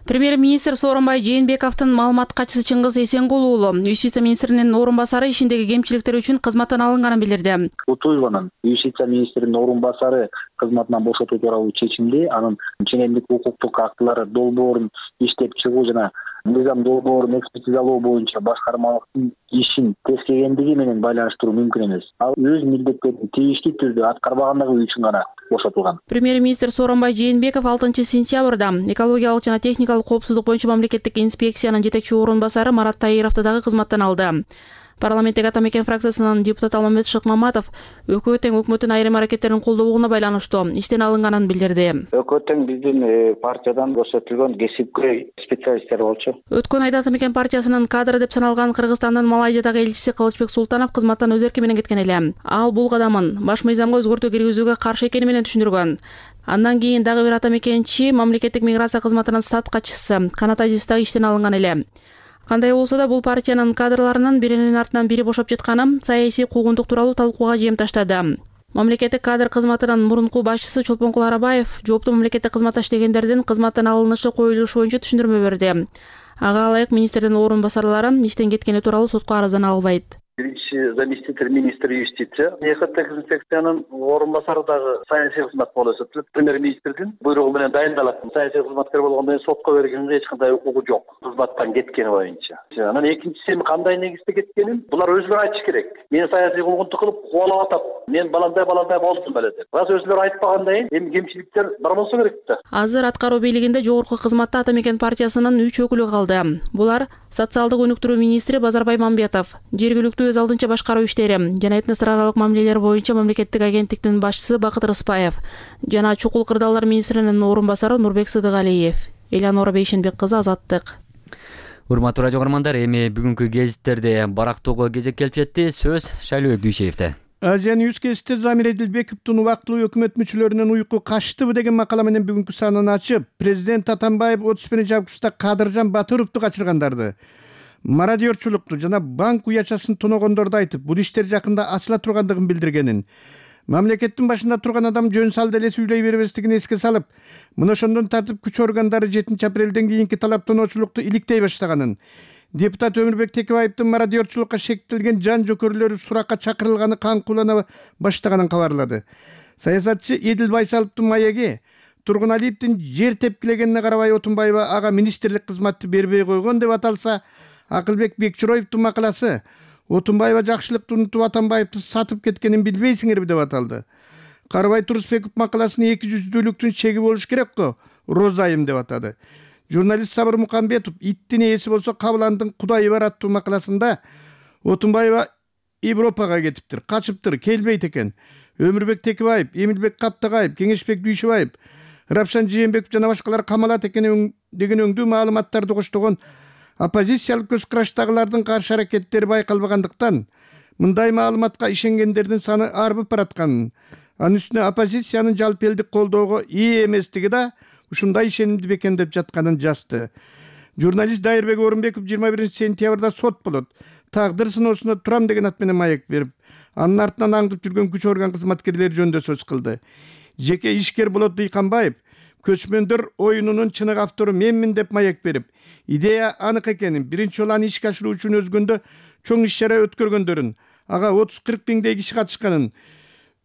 L: Премьер-министр Сооронбай Жээнбековдун маалымат катчысы Чыңгыз Эсенгул уулу юстиция министринин орун басары ишиндеги кемчиликтер үчүн кызматтан алынганын билдирди.
M: Кутуеванын юстиция министринин орун басары кызматынан бошотуу тууралуу чечимди анын ченемдик укуктук актылары долбоорун иштеп чыгуу жана мыйзам долбоорун экспертизалоо боюнча башкармалыктын ишин тескегендиги менен байланыштыруу мүмкүн эмес. Ал өз милдеттерин тийиштүү түрдө аткарбагандыгы үчүн гана бошотулган.
L: Премьер-министр Сооронбай Жээнбеков алтынчы сентябрда экологиялык жана техникалык коопсуздук боюнча мамлекеттик инспекциянын жетекчи орун басары Марат Таировду дагы кызматтан алды. Парламенттеги Ата Мекен фракциясынын депутаты Алмамет Шыкмаматов Экөө тең өкмөттүн айрым аракеттерин колдобогуна байланыштуу иштен алынганын билдирди.
M: Экөө тең биздин партиядан көрсөтүлгөн кесипкөй специалисттер болчу.
L: Өткөн айда Ата Мекен партиясынын кадры деп саналган Кыргызстандын Малайзиядагы элчиси Кылычбек Султанов кызматтан өз эрки менен кеткен эле. Ал бул кадамын баш мыйзамга өзгөртүү киргизүүгө каршы экени менен түшүндүргөн. Андан кийин дагы бир Ата Мекенчи мамлекеттик миграция кызматынын стат катчысы Канат Азиз дагы иштен алынган эле. Кандай болсо да бул партиянын кадрларынын биринин артынан бири бошоп жатканы саясий куугунтук тууралуу талкууга жем таштады. Мамлекеттик кадр кызматынын мурунку башчысы Чолпонкул Арабаев жооптуу мамлекеттик кызматта иштегендердин кызматтан алынышы коюлушу боюнча түшүндүрмө берди. Ага ылайык министрдин орун басарлары иштен кеткени тууралуу сотко арыздана албайт.
M: Биринчи
D: биринчи заместитель министра юстиция. ЭХТ инспекциянын орун басары дагы саясий кызмат болуп эсептелет. Премьер-министрдин буйругу менен дайындалат. Саясий кызматкер болгондон кийин сотко бергенге эч кандай укугу жок. Кызматтан кеткени боюнча. Анан экинчиси кандай негизде кеткенин булар өзүлөрү айтыш керек. Мен саясий куугунтук кылып кубалап атап, мен баландай баландай болдум беле деп. Рас өзүлөрү айтпагандай эми кемчиликтер бар болсо керек да.
L: Азыр аткаруу бийлигинде жогорку кызматта Ата Мекен партиясынын үч өкүлү калды. Булар социалдык өнүктүрүү министри Базарбай Мамбетов, жергиликтүү өз алдынча башкаруу иштери жана этнос аралык мамилелер боюнча мамлекеттик агенттиктин башчысы Бакыт Рыспаев жана чукул кырдаалдар министринин орун басары Нурбек Сыдыгалиев. Элеонора Бейшенбек кызы, Азаттык.
A: Урматтуу радио көрөрмандар, эми бүгүнкү гезиттерде барактоого кезек келип жетти. Сөз Шайлыбек Дүйшеевде.
N: Азия Ньюс Кестте Замир Эдилбековдун убактылуу өкмөт мүчөлөрүнүн уйку качтыбы деген макала менен бүгүнкү санын ачып, президент Атамбаев отуз биринчи августта Кадыржан Батыровду качыргандарды, мародерчулукту жана банк уячасын тоногондорду айтып, бул иштер жакында ачыла тургандыгын билдиргенин, мамлекеттин башында турган адам жөн салды эле сүйлөй бербестигин эске салып, мына ошондон тартып күч органдары жетинчи апрелден кийинки талаптоочулукту иликтей баштаганын, депутат Өмүрбек Текебаевдин мародерчулукка шектелген жан жокөрлөрү суракка чакырылганы каңкуулана баштаганын кабарлады. Саясатчы Эдил Байсаловдун маеги Тургуналиевдин жер тепкилегенине карабай Отунбаева ага министрлик кызматты бербей койгон деп аталса, Акылбек Бекчуроевдун макаласы Отунбаева жакшылыкты унутуп Атамбаевди сатып кеткенин билбейсиңерби деп аталды. Карабай Турусбеков макаласын эки жүздүүлүктүн чеги болуш керек го, розайым деп атады. Журналист Сабыр Мукамбетов иттин ээси болсо Кабыландын кудайы бар аттуу макаласында Отунбаева Европага кетиптир, качыптыр, келбейт экен. Өмүрбек Текебаев, Эмилбек Каптагаев, Кеңешбек Дүйшөбаев, Рапшан Жээнбеков жана башкалар камалат экен деген өңдүү маалыматтарды коштогон оппозициялык көз караштагылардын каршы аракеттери байкалбагандыктан мындай маалыматка ишенгендердин саны арбып баратканын, анын үстүнө оппозициянын жалпы элдик колдоого ээ эместиги да ушундай ишенимди бекемдеп жатканын жазды. Журналист Дайырбек Орунбеков жыйырма биринчи сентябрда сот болот. Тагдыр сыноосуна турам деген ат менен маек берип, анын артынан аңдып жүргөн күч орган кызматкерлери жөнүндө сөз кылды. Жеке ишкер Болот Дыйканбаев көчмөндөр оюнунун чыныгы автору менмин деп маек берип, идея анык экенин, биринчи жолу аны ишке ашыруу үчүн өзгөндө чоң иш чара өткөргөндөрүн, ага отуз кырк миңдей киши катышканын,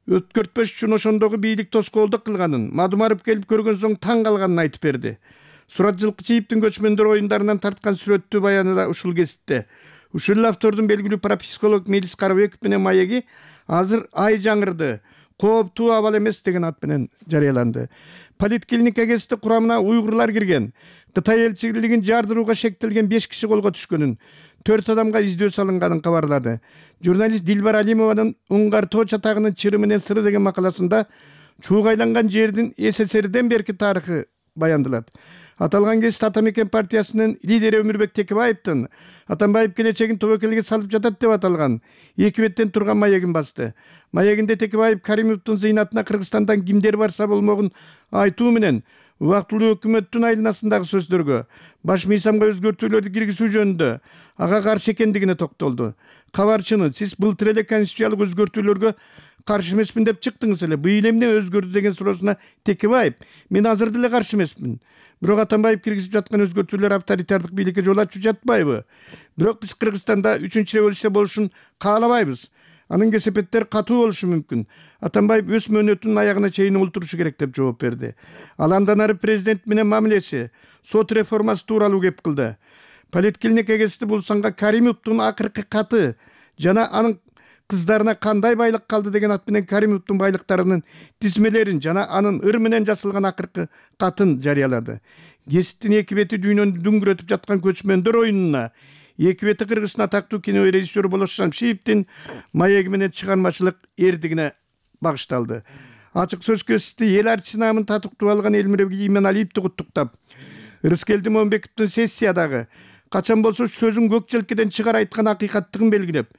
N: өткөртпөш үчүн ошондогу бийлик тоскоолдук кылганын, Мадумаров келип көргөн соң таң калганын айтып берди. Сурат Жылкычиевдин көчмөндөр оюндарынан тарткан сүрөттүү баяны да ушул кесипте. Ушул автордун белгилүү парапсихолог Мелис Карабеков менен маеги азыр ай жаңырды, кооптуу абал эмес деген ат менен жарыяланды. Политклиника кесипти курамына уйгурлар кирген, Кытай элчилигин жардырууга шектелген беш киши колго түшкөнүн, төрт адамга издөө салынганын кабарлады. Журналист Дилбар Алимованын Уңгар тоо чатагынын чыры менен сыры деген макаласында чуугайланган жердин СССРден берки тарыхы баяндалат. Аталган кесип Ата Мекен партиясынын лидери Өмүрбек Текебаевдин Атамбаев келечегин тобокелге салып жатат деп аталган эки беттен турган маегин басты. Маегинде Текебаев Каримовдун зыйнатына Кыргызстандан кимдер барса болмогун айтуу менен убактылуу өкмөттүн айланасындагы сөздөргө, баш мыйзамга өзгөртүүлөрдү киргизүү жөнүндө ага каршы экендигине токтолду. Кабарчыны, сиз былтыр эле конституциялык өзгөртүүлөргө каршы эмесмин деп чыктыңыз эле. Быйыл эмне өзгөрдү деген суроосуна Текебаев, мен азыр деле каршы эмесмин. Бирок Атамбаев киргизип жаткан өзгөртүүлөр авторитардык бийликке жол ачып жатпайбы? Бирок биз Кыргызстанда үчүнчү революция болушун каалабайбыз. Анын кесепеттери катуу болушу мүмкүн. Атамбаев өз мөөнөтүнүн аягына чейин олтурушу керек деп жооп берди. Ал андан ары президент менен мамилеси, сот реформасы тууралуу кеп кылды. Политклиника кесипти бул санга Каримовдун акыркы каты жана анын кыздарына кандай байлык калды деген ат менен Каримовдун байлыктарынын тизмелерин жана анын ыр менен жасалган акыркы катын жарыялады. Кесиптин эки бети дүйнөнү дүңгүрөтүп жаткан көчмөндөр оюнуна эки бети Кыргыздын атактуу кино режиссеру Болот Шамшиевдин маеги менен чыгармачылык эрдигине багышталды. Ачык сөз кесипти эл артисти наамын татыктуу алган Элмирбек Ийменалиевди куттуктап, Рыскелди Момбековдун сессиядагы качан болсо сөзүн көк желкеден чыгар айткан акыйкаттыгын белгилеп,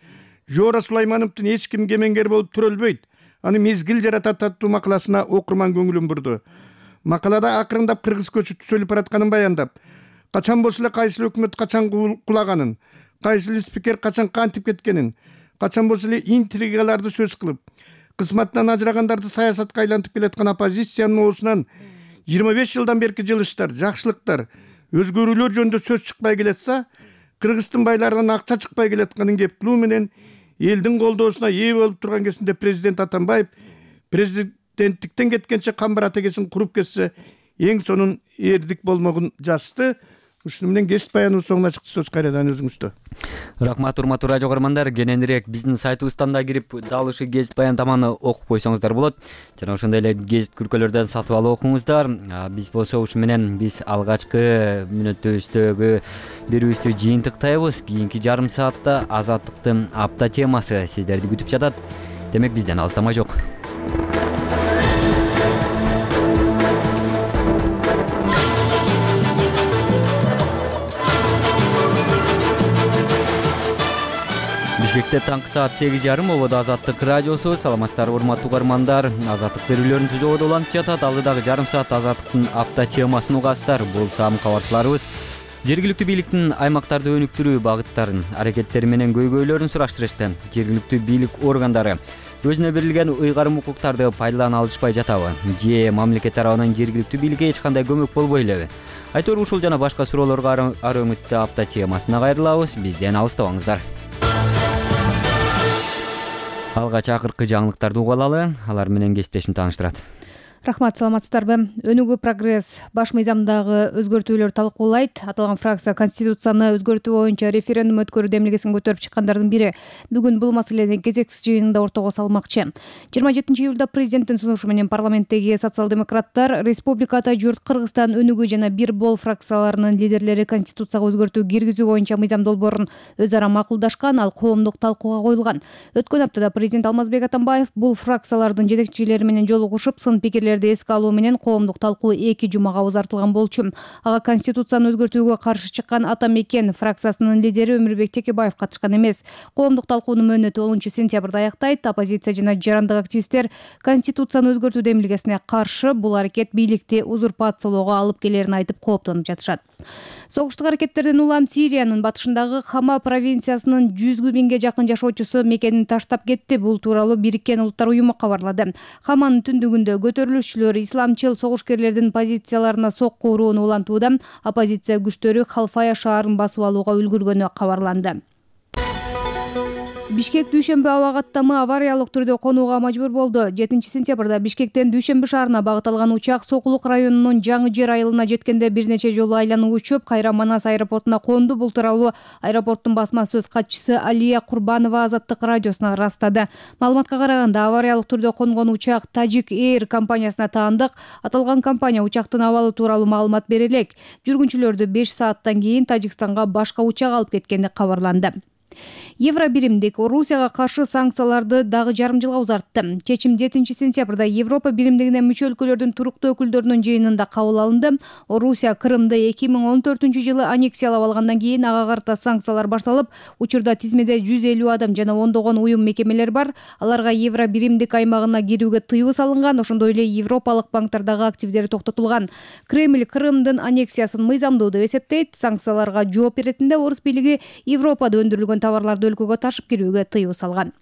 N: Жоора Сулаймановдун эч ким кемеңгер болуп төрөлбөйт, аны мезгил жаратат аттуу макаласына окурман көңүлүн бурду. Макалада акырындап кыргыз көчү түзөлүп баратканын баяндап, качан болсо эле кайсыл өкмөт качан кулаганын, кайсыл спикер качан кантип кеткенин, качан болсо эле интригаларды сөз кылып, кызматынан ажырагандарды саясатка айлантып келаткан оппозициянын оосунан жыйырма беш жылдан берки жылыштар, жакшылыктар, өзгөрүүлөр жөнүндө сөз чыкпай келатса, Кыргыздын байларынан акча чыкпай келатканын кеп кылуу менен элдин колдоосуна ээ болуп турган кезинде президент Атамбаев президенттиктен кеткенче камбар атегесин куруп кетсе эң сонун эрдик болмогун жазды. Ушуну менен кесип баяныбыз соңуна чыкты. Сөз кайрадан өзүңүздө.
A: Рахмат, урматтуу радио көрөрмандар. Кененирээк биздин сайтыбыздан да кирип дал ушул гезит баян таманы окуп койсоңуздар болот. Жана ошондой эле гезит күркөлөрдөн сатып алып окуңуздар. Биз болсо ушу менен биз алгачкы мүнөттөбүздөгү берүүбүздү жыйынтыктайбыз. Кийинки жарым саатта азаттыктын апта темасы сиздерди күтүп жатат. Демек бизден алыстама жок. Бишкекте таңкы саат сегиз жарым ободо Азаттык радиосу. Саламатсыздарбы урматтуу угармандар. Азаттык берүүлөрүн түзүүгө уланып жатат. Алдыдагы жарым саат Азаттыктын апта темасын угасыздар. Бул сам кабарчыларыбыз жергиликтүү бийликтин аймактарды өнүктүрүү багыттарын, аракеттери менен көйгөйлөрүн сураштырышты. Жергиликтүү бийлик органдары өзүнө берилген ыйгарым укуктарды пайдалана алышпай жатабы? Же мамлекет тарабынан жергиликтүү бийликке эч кандай көмөк болбой элеби? Айтор ушул жана башка суроолорго ар өңүттө апта темасына кайрылабыз. Бизден алыстабаңыздар. Алгач акыркы жаңылыктарды угуп алалы. Алар менен кесиптешим тааныштырат.
E: Рахмат, саламатсыздарбы? Өнүгүү прогресс баш мыйзамдагы өзгөртүүлөр талкуулайт. Аталган фракция Конституцияны өзгөртүү боюнча референдум өткөрүү демилгесин көтөрүп чыккандардын бири. Бүгүн бул маселени кезексиз жыйынында ортого салмакчы. жыйырма жетинчи июлда президенттин сунушу менен парламенттеги социал-демократтар, Республиката журт Кыргызстан өнүгүү жана бир бол фракцияларынын лидерлери Конституцияга өзгөртүү киргизүү боюнча мыйзам долбоорун өз ара макулдашкан, ал коомдук талкууга коюлган. Өткөн аптада президент Алмазбек Атамбаев бул фракциялардын жетекчилери менен жолугушуп, сын пикирлерди эске алуу менен коомдук талкуу эки жумага узартылган болчу. Ага Конституцияны өзгөртүүгө каршы чыккан Ата Мекен фракциясынын лидери Өмүрбек Текебаев катышкан эмес. Коомдук талкуунун мөөнөтү онунчу сентябрда аяктайт. Оппозиция жана жарандык активисттер Конституцияны өзгөртүү демилгесине каршы бул аракет бийликти узурпациялоого алып келерин айтып кооптонуп жатышат. Согуштук аракеттерден улам Сириянын батышындагы Хама провинциясынын жүзгө миңге жакын жашоочусу мекенин таштап кетти. Бул тууралуу Бириккен Улуттар уюму кабарлады. Хаманын түндүгүндө көтөрүлүшчүлөр исламчыл согушкерлердин позицияларына сокку урууну улантууда. Оппозиция күчтөрү Халфая шаарын басып алууга үлгүргөнү кабарланды. Бишкек Дүйшөмбү аба каттамы авариялык түрдө конууга мажбур болду. жетинчи сентябрда Бишкектен Дүйшөмбү шаарына багыт алган учак Сокулук районунун Жаңы Жер айылына жеткенде бир нече жолу айланып учуп, кайра Манас аэропортуна конду. Бул тууралуу аэропорттун басма сөз катчысы Алия Курбанова Азаттык радиосуна ырастады. Маалыматка караганда, авариялык түрдө конгон учак Tajik Air компаниясына таандык. Аталган компания учактын абалы тууралуу маалымат бере элек. Жүргүнчүлөрдү беш сааттан кийин Тажикстанга башка учак алып кеткени кабарланды. Евробиримдик Орусияга каршы санкцияларды дагы жарым жылга узартты. Чечим жетинчи сентябрда Европа биримдигине мүчө өлкөлөрдүн туруктуу өкүлдөрүнүн жыйынында кабыл алынды. Орусия Крымды эки миң он төртүнчү жылы аннексиялап алгандан кийин ага карата санкциялар башталып, учурда тизмеде жүз элүү адам жана ондогон уюм мекемелер бар. Аларга Евробиримдик аймагына кирүүгө тыюу салынган, ошондой эле европалык банктардагы активдери токтотулган. Кремль Крымдын аннексиясын мыйзамдуу деп эсептейт. Санкцияларга жооп беретинде Орус бийлиги Европада өндүрүлгөн товарларды өлкөгө ташып кирүүгө тыюу салган.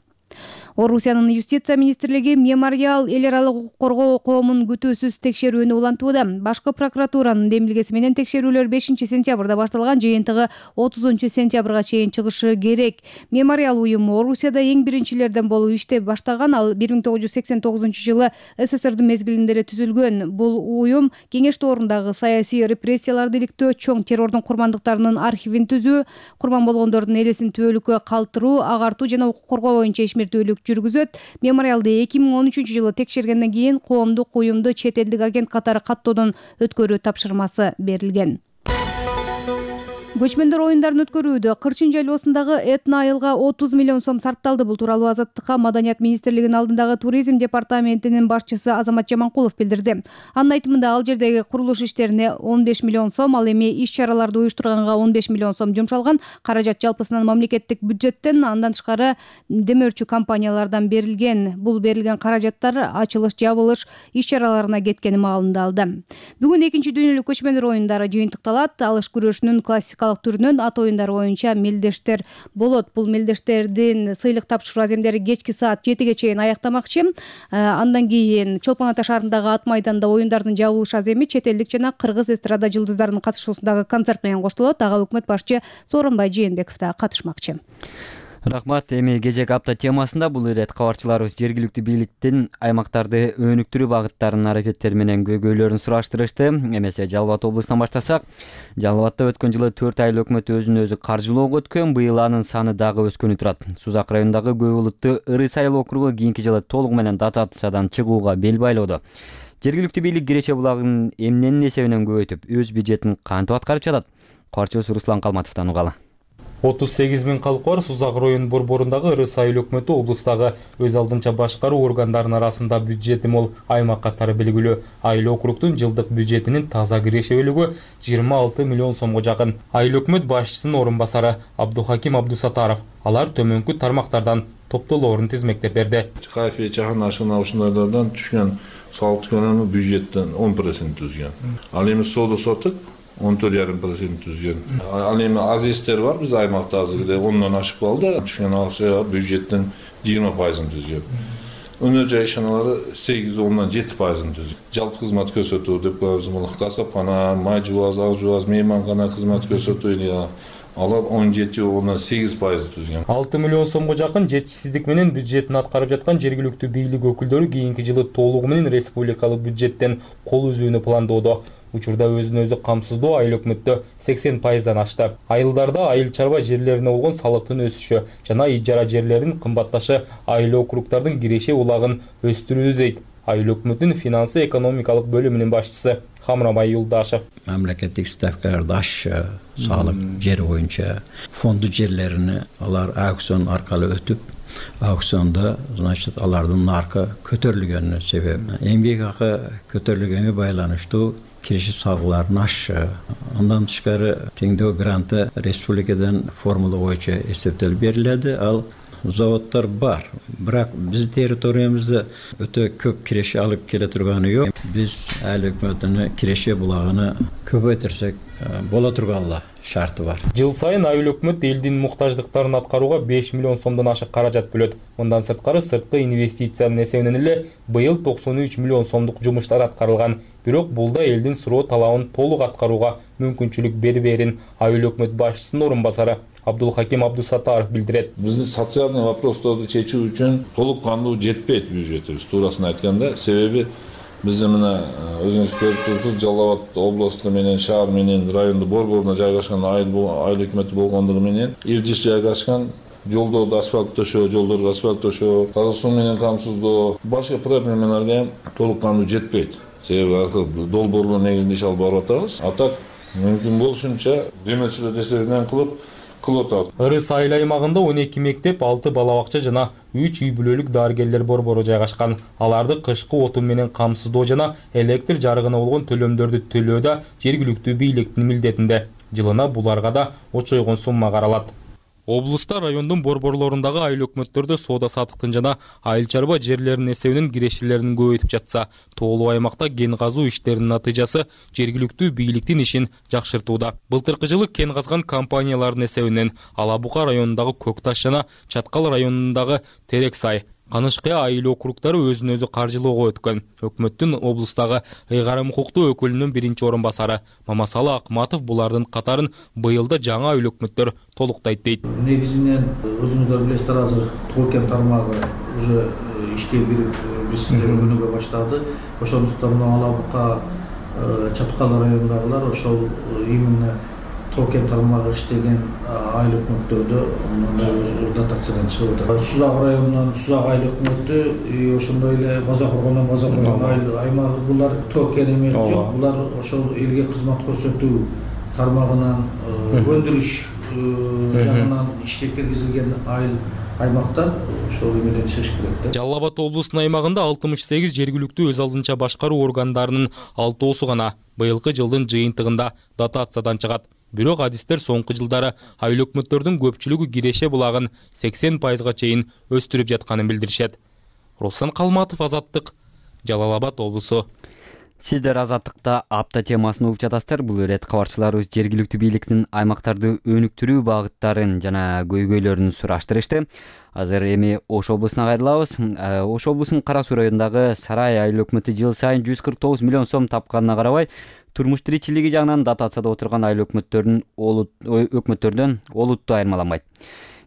E: Орусиянын юстиция министрлиги Мемориал эл аралык укук коргоо коомун күтүүсүз текшерүүнү улантууда. Башкы прокуратуранын демилгеси менен текшерүүлөр бешинчи сентябрда башталган, жыйынтыгы отузунчу сентябрга чейин чыгышы керек. Мемориал уюму Орусияда эң биринчилерден болуп иштеп баштаган. Ал бир миң тогуз жүз сексен тогузунчу жылы СССРдин мезгилинде эле түзүлгөн. Бул уюм кеңеш доорундагы саясий репрессияларды иликтөө, чоң террордун курмандыктарынын архивин түзүү, курман болгондордун элесин түбөлүккө калтыруу, агартуу жана укук коргоо боюнча ишмердүүлүк жүргүзөт. Мемориалды эки миң он үчүнчү жылы текшергенден кийин коомдук уюмду чет элдик агент катары каттоодон өткөрүү тапшырмасы берилген. Көчмөндөр оюндарын өткөрүүдө Кырчын жайлоосундагы этно айылга отуз миллион сом сарпталды. Бул тууралуу Азаттыкка Маданият министрлигинин алдындагы туризм департаментинин башчысы Азамат Жаманкулов билдирди. Анын айтымында, ал жердеги курулуш иштерине он беш миллион сом, ал эми иш-чараларды уюштурганга он беш миллион сом жумшалган. Каражат жалпысынан мамлекеттик бюджеттен, андан тышкары демөөрчү компаниялардан берилген. Бул берилген каражаттар ачылыш, жабылыш иш-чараларына кеткени маалымдалды. Бүгүн экинчи дүйнөлүк көчмөндөр оюндары жыйынтыкталат. Алыш күрөшүнүн классикалык түрүнөн ат оюндары боюнча мелдештер болот. Бул мелдештердин сыйлык тапшыруу аземдери кечки саат жетиге чейин аяктамакчы. Андан кийин Чолпон Ата шаарындагы ат майданда оюндардын жабылыш аземи чет элдик жана кыргыз эстрада жылдыздарынын катышуусундагы концерт менен коштолот. Ага өкмөт башчы Сооронбай Жээнбеков да катышмакчы.
A: Рахмат. Эми кезек апта темасында бул ирет кабарчыларыбыз жергиликтүү бийликтин аймактарды өнүктүрүү багыттарынын аракеттери менен көйгөйлөрүн сураштырышты. Эмесе Жалал Абад облусунан баштасак, Жалал Абадда өткөн жылы төрт айыл өкмөт өзүн өзү каржылоого өткөн, быйыл анын саны дагы өскөнү турат. Сузак районундагы көп улуттуу Ыры сайыл округу кийинки жылы толугу менен дотациядан чыгууга бел байлоодо. Жергиликтүү бийлик Киреше булагын эмненин эсебинен көбөйтүп, өз бюджетин кантип аткарып жатат? Кабарчыбыз Руслан Калматовдон угалы.
O: отуз сегиз миң калкы бар Сузак районунун борборундагы Ыры сайыл өкмөтү облустагы өз алдынча башкаруу органдарынын арасында бюджети мол аймак катары белгилүү. Айыл округдун жылдык бюджетинин таза киреше бөлүгү жыйырма алты миллион сомго жакын. Айыл өкмөт башчысынын орун басары Абдухаким Абдусатаров алар төмөнкү тармактардан топтолоорун тизмектеп берди.
P: Кафе, чахана, ашына ушундайлардан түшкөн салык көлөмү бюджеттен он процент түзгөн. Ал эми соода сотук он төрт жарым процент түзгөн. Ал эми азистер бар биз аймакта азыр ондон ашып калды. Түшкөн акча бюджеттен жыйырма пайызын түзгөн. Өнөр жай ишаналары сегиз ондон жети пайызын түзгөн. Жалпы кызмат көрсөтүү деп коебуз. Бул касапкана, май жуаз, ак жуаз, мейманкана кызмат көрсөтүү алар он жети ондон сегиз пайыз түзгөн.
O: алты миллион сомго жакын жетишсиздик менен бюджетин аткарып жаткан жергиликтүү бийлик өкүлдөрү кийинки жылы толугу менен республикалык бюджеттен кол үзүүнү пландоодо. Учурда өзүн өзү камсыздоо айыл өкмөттө сексен пайыздан ашты. Айылдарда айыл чарба жерлерине болгон салыктын өсүшү жана ижара жерлеринин кымбатташы айыл округдардын киреше улагын өстүрүүдө дейт айыл өкмөтүнүн финансы экономикалык бөлүмүнүн башчысы Хамрамай Юлдашев.
Q: Мамлекеттик ставкаларды ашчы, салык жери боюнча фонду жерлерини алар аукцион аркылуу өтүп, аукционда, значит, алардын наркы көтөрүлгөнүнүн себеби. Эмгек акы көтөрүлгөнгө байланыштуу киреше салыктарын ашчы. Андан тышкары теңдөө гранты республикадан формула боюнча эсептелип берилди. Ал заводдор бар. Бирок биз территориябызда өтө көп киреше алып келе турганы жок. Биз айыл өкмөтүнүн киреше булагын көбөйтүрсөк боло турганла шарты бар.
O: Жыл сайын айыл өкмөт элдин муктаждыктарын аткарууга беш миллион сомдон ашык каражат бөлөт. Мындан сырткары сырткы инвестициянын эсебинен эле быйыл токсон үч миллион сомдук жумуштар аткарылган. Бирок бул да элдин суроо талабын толук аткарууга мүмкүнчүлүк берберин айыл өкмөт башчысынын орун басары Абдулхаким Абдусатаров билдирет.
P: Биздин социалдык вопросторду чечүү үчүн толук кандуу жетпейт бюджетибиз, туурасын айтканда. Себеби биз мына өзүңүз көрүп турсуз, Жалал Абад областу менен шаар менен райондун борборуна жайгашкан айыл айыл өкмөтү болгондугу менен илдиш жайгашкан жолдорду асфальт төшөө, жолдорго асфальт төшөө, таза суу менен камсыздоо, башка проблемаларга толук кандуу жетпейт. Себеби долбоорлор негизинде иш алып барып атабыз. А так мүмкүн болушунча демечилер эсебинен кылып
O: Ыры сайыл аймагында он эки мектеп, алты бала бакча жана үч үй бүлөлүк дарыгерлер борбору жайгашкан. Аларды кышкы отун менен камсыздоо жана электр жарыгына болгон төлөмдөрдү төлөө да жергиликтүү бийликтин милдетинде. Жылына буларга да очойгон сумма каралат. Облуста райондун борборлорундагы айыл өкмөттөрдө соода саттыктын жана айыл чарба жерлеринин эсебинен кирешелерин көбөйтүп жатса, тоолуу аймакта кен казуу иштеринин натыйжасы жергиликтүү бийликтин ишин жакшыртууда. Былтыркы жылы кен казган компаниялардын эсебинен Ала Бука районундагы Көк Таш жана Чаткал районундагы Терек Сай, Канышкыя айыл округдары өзүн өзү каржылоого өткөн. Өкмөттүн облустагы ыйгарым укуктуу өкүлүнүн биринчи орун басары Мамасалы Акматов булардын катарын быйыл да жаңы айыл өкмөттөр толуктайт дейт.
R: Негизинен өзүңүздөр билесиздер, азыр Тоо кен тармагы уже ишке кирип биз өнүгө баштады. Ошондуктан мына Ала Бука, Чаткал районундагылар ошол именно Тоо кен тармагы иштеген айыл өкмөттөрдө мындай дотациядан чыгып атат. Сузак районунан Сузак айыл өкмөтү, ошондой эле База Коргондон База Коргон айыл аймагы, булар Тоо кен эмес жок, булар ошол элге кызмат көрсөтүү тармагынан өндүрүш жагынан ишке киргизилген айыл аймактан ошол эмеден чыгыш керек.
O: Жалал Абад облусунун аймагында алтымыш сегиз жергиликтүү өз алдынча башкаруу органдарынын алтоосу гана быйылкы жылдын жыйынтыгында дотациядан чыгат. Бирок адистер соңку жылдары айыл өкмөттөрдүн көпчүлүгү киреше булагын сексен пайызга чейин өстүрүп жатканын билдиришет. Руслан Калматов, Азаттык, Жалал Абад облусу.
A: Сиздер Азаттыкта апта темасын угуп жатасыздар. Бул ирет кабарчыларыбыз жергиликтүү бийликтин аймактарды өнүктүрүү багыттарын жана көйгөйлөрүн сураштырышты. Азыр эми Ош облусуна кайрылабыз. Ош облусунун Кара Суу районундагы Сарай айыл өкмөтү жыл сайын жүз кырк тогуз миллион сом тапканына карабай, турмуш тиричилиги жагынан дотацияда отурган айыл өкмөттөрдүн өкмөттөрдөн олуттуу айырмаланбайт.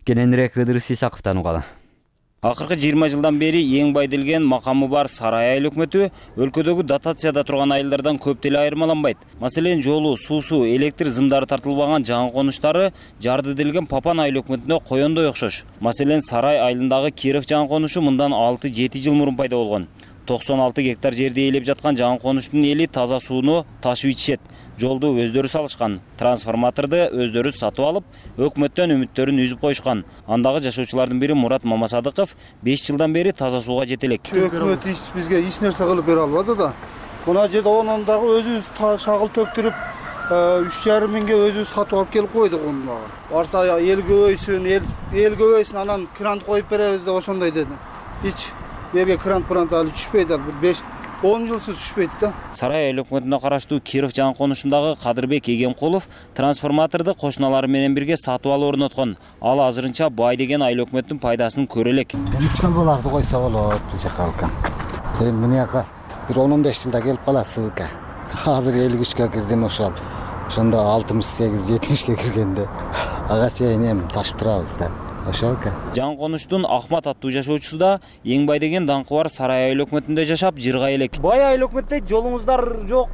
A: Кененирээк Ыдырыс Исаковдон угалы.
S: Акыркы жыйырма жылдан бери эң бай делген макамы бар Сарай айыл өкмөтү өлкөдөгү дотацияда турган айылдардан көп деле айырмаланбайт. Маселен, жолу, суусу, электр зымдары тартылбаган жаңы конуштары жарды делген Папан айыл өкмөтүнө коёндой окшош. Маселен, Сарай айылындагы Киров жаңы конушу мындан алты жети жыл мурун пайда болгон. токсон алты гектар жерди ээлеп жаткан жаңы конуштун эли таза сууну ташып ичишет. Жолду өздөрү салышкан, трансформаторду өздөрү сатып алып, өкмөттөн үмүттөрүн үзүп коюшкан. Андагы жашоочулардын бири Мурат Мамасадыков беш жылдан бери таза сууга жете элек.
T: Өкмөт бизге эч нерсе кылып бере албады да. Мына жерде онун дагы өзүбүз шагыл төктүрүп, үч жарым миңге өзүбүз сатып алып келип койдук уну дагы. Барса эл көбөйсүн, эл көбөйсүн, анан крант коюп беребиз деп ошондой деди. Эч жерге крант-крант алып түшпөйт, бир беш он жылсыз түшпөйт да.
S: Сарай айыл өкмөтүнө караштуу Киров жаңы конушундагы Кадырбек Эгемкулов трансформаторду кошуналары менен бирге сатып алып орноткон. Ал азырынча бай деген айыл өкмөттүн пайдасын көрө элек.
U: Буларды койсо болот бул жака алкан. Сен мынияка бир он он беш жылда келип калат суука. Азыр элүү үчкө кирдим ошол. Ошондо алтымыш сегиз жетимишке киргенде ага чейин эми ташып турабыз да. Ошолка.
S: Жаңы конуштун Ахмат аттуу жашоочусу да эң бай деген даңкы бар Сарай айыл өкмөтүндө жашап жыргай элек.
V: Бай айыл өкмөттө жолуңуздар жок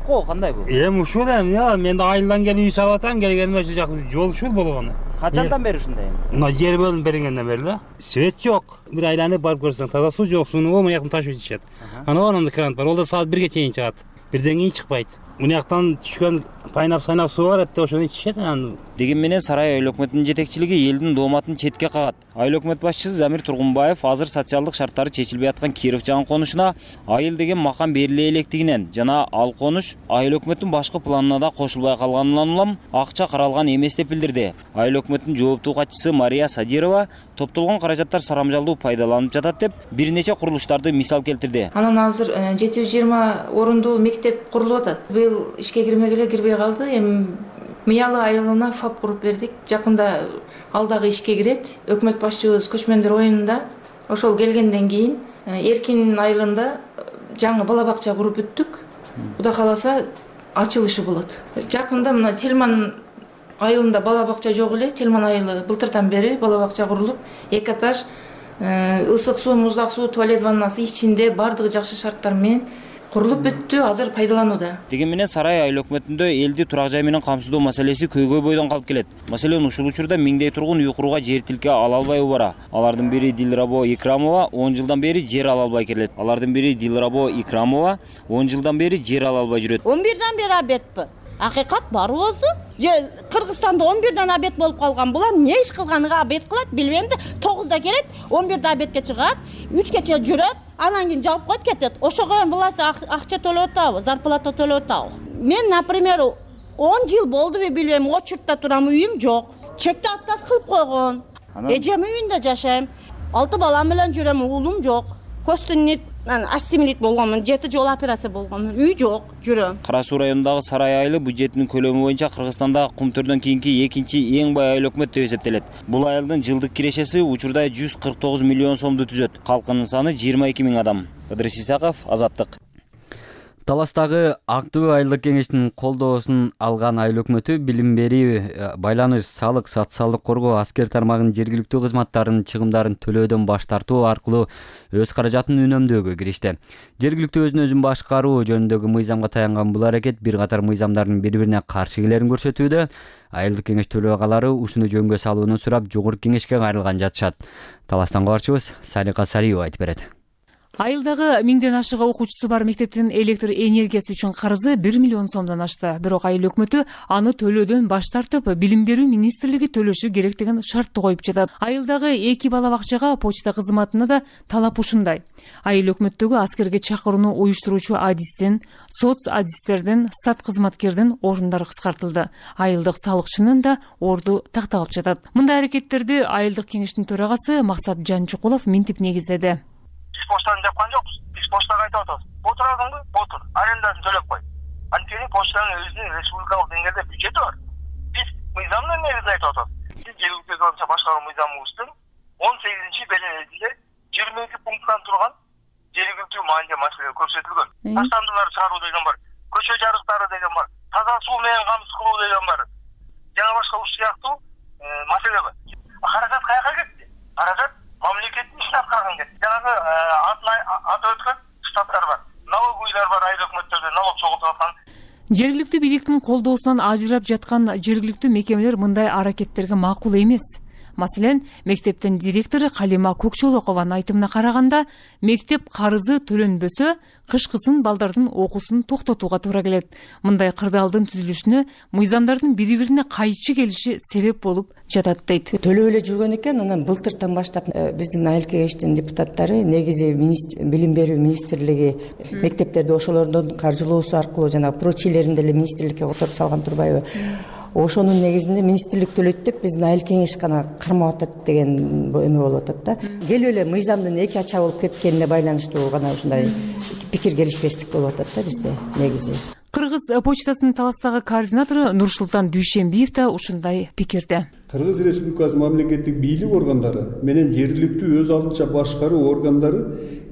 V: го, кандай бул? Эми ушул эми, мен айылдан келип үй салып атам, келгениме ушул жак жол ушул болгону. Качандан бери ушундай? Мына жер бөлүнүп бергенден бери да. Свет жок. Бир айланып барып көрсөң, таза суу жок, сууну мына жактан ташып ичишет. Анан анан крант бар, ол да саат бирге чейин чыгат. Бирден кийин чыкпайт. Мына жактан түшкөн пайнап-сайнап суу бар эт, ошону ичишет анан.
S: Деген менен Сарай айыл өкмөтүнүн жетекчилиги элдин дооматын четке кагат. Айыл өкмөт башчысы Замир Тургунбаев азыр социалдык шарттары чечилбей аткан Киров жаңы конушуна айыл деген макам бериле электигинен жана ал конуш айыл өкмөттүн башкы планына да кошулбай калганынан улам акча каралган эмес деп билдирди. Айыл өкмөттүн жооптуу катчысы Мария Садирова топтолгон каражаттар сарамжалдуу пайдаланып жатат деп бир нече курулуштарды мисал келтирди.
W: Анан азыр жети жүз жыйырма орундуу мектеп курулуп атат. Быйыл ишке кирмегеле кирбей калды. Эми Мыялы айылына фап куруп бердик. Жакында ал дагы ишке кирет. Өкмөт башчыбыз көчмөндөр оюнунда ошол келгенден кийин Эркин айылында жаңы бала бакча куруп бүттүк. Кудай кааласа ачылышы болот. Жакында мына Телман айылында бала бакча жок эле. Телман айылы былтырдан бери бала бакча курулуп, эки этаж, ысык суу, муздак суу, туалет ваннасы ичинде бардыгы жакшы шарттар менен курулуп бүттү, азыр пайдаланууда.
S: Деген менен Сарай айыл өкмөтүндө элди турак жай менен камсыздоо маселеси көйгөй бойдон калып келет. Маселен, ушул учурда миңдей тургун үй курууга жер тилке ала албай убара. Алардын бири Дилрабо Икрамова он жылдан бери жер ала албай келет. Алардын бири Дилрабо Икрамова он жылдан бери жер ала албай жүрөт.
X: он бирден бери абетпи? Акыйкат бар өзү. Же Кыргызстанда он бирден абет болуп калган. Булар эмне иш кылганыга абет кылат билбейм да. тогузда келет, он бирде абетке чыгат, үчкече жүрөт, анан кийин жаап коюп кетет. Ошого буласы акча төлөп атабы, зарплата төлөп атабы. Мен, например, он жыл болдубу билбейм, очуртта турам, үйүм жок. Чекте отказ кылып койгон. Эжем үйүндө жашайм. алты балам менен жүрөм, уулум жок. Костюмник астемилит болгонмун, жети жол операция болгонмун, үй жок, жүрөм.
S: Кара Суу районундагы Сарай айылы бюджетинин көлөмү боюнча Кыргызстанда Кумтөрдөн кийинки экинчи эң бай айыл өкмөт деп эсептелет. Бул айылдын жылдык кирешеси учурда жүз кырк тогуз миллион сомду түзөт. Калкынын саны жыйырма эки миң адам. Ыдырыс Исаков, Азаттык.
A: Таластагы Актөө айылдык кеңештин колдоосун алган айыл өкмөтү билим берүү, байланыш, салык, социалдык коргоо, аскер тармагынын жергиликтүү кызматтарынын чыгымдарын төлөөдөн баш тартуу аркылуу өз каражатын үнөмдөөгө киришти. Жергиликтүү өзүн өзүн башкаруу жөнүндөгү мыйзамга таянган бул аракет бир катар мыйзамдардын бири-бирине каршы келерин көрсөтүүдө. Айылдык кеңеш төрагалары ушуну жөнгө салууну сурап жогорку кеңешке кайрылган жатышат. Таластан кабарчыбыз Салика Сариева айтып берет.
Y: Айылдагы миңден ашык окуучусу бар мектептин электр энергиясы үчүн карызы бир миллион сомдон ашты. Бирок айыл өкмөтү аны төлөөдөн баш тартып, билим берүү министрлиги төлөшү керек деген шартты коюп жатат. Айылдагы эки бала бакчага почта кызматына да талап ушундай. Айыл өкмөттөгү аскерге чакырууну уюштуруучу адистен, соц адистерден, сат кызматкердин орундары кыскартылды. Айылдык салыкчынын да орду такталып жатат. Мындай аракеттерди айылдык кеңештин төрагасы Максат Жанчукулов минтип негиздеди.
Z: Биз почтаны жапкан жокпуз. Биз почтага айтып атабыз. Отурадыңбы? Отур. Арендасын төлөп кой. Анткени почтанын өзүнүн республикалык деңгээлде бюджети бар. Биз мыйзамдын негизинде айтып атабыз. Биз жергиликтүү өзү башкаруу мыйзамыбыздын он сегизинчи беленесинде жыйырма эки пункттан турган жергиликтүү маанилүү маселе көрсөтүлгөн. Таштандылар чыгаруу деген бар, көчө жарыктары деген бар, таза суу менен камсыз кылуу деген бар. Жана башка ушул сыяктуу маселе бар. каражат каяка кетти? Каражат мамлекеттин ишин аткарган кетти. Жанагы атын атап өткөн штаттар бар, налоговыйлар бар, айыл өкмөттөрдө налог чогултуп аткан.
Y: Жергиликтүү бийликтин колдоосунан ажырап жаткан жергиликтүү мекемелер мындай аракеттерге макул эмес. Маселен, мектептин директору Калима Көкчолокованын айтымына караганда, мектеп карызы төлөнбөсө, кышкысын балдардын окуусун токтотууга туура келет. Мындай кырдаалдын түзүлүшүнө мыйзамдардын бири-бирине кайчы келиши себеп болуп жатат дейт.
B: Төлөп эле жүргөн экен, анан былтыртан баштап биздин айыл кеңештин депутаттары негизи билим берүү министрлиги мектептерди ошолордун каржылоосу аркылуу жана прочийлерин деле министрликке которуп салган турбайбы? Ошонун негизинде министрлик төлөйт деп биздин айыл кеңеш гана кармап атат деген эме болуп атат да. Келип эле мыйзамдын эки ача болуп кеткенине байланыштуу гана ушундай пикир келишпестик болуп атат да бизде негизи.
Y: Кыргыз почтасынын Таластагы координатору Нурсултан Дүйшенбиев да ушундай пикирде.
F: Кыргыз Республикасы мамлекеттик бийлик органдары менен жергиликтүү өз алдынча башкаруу органдары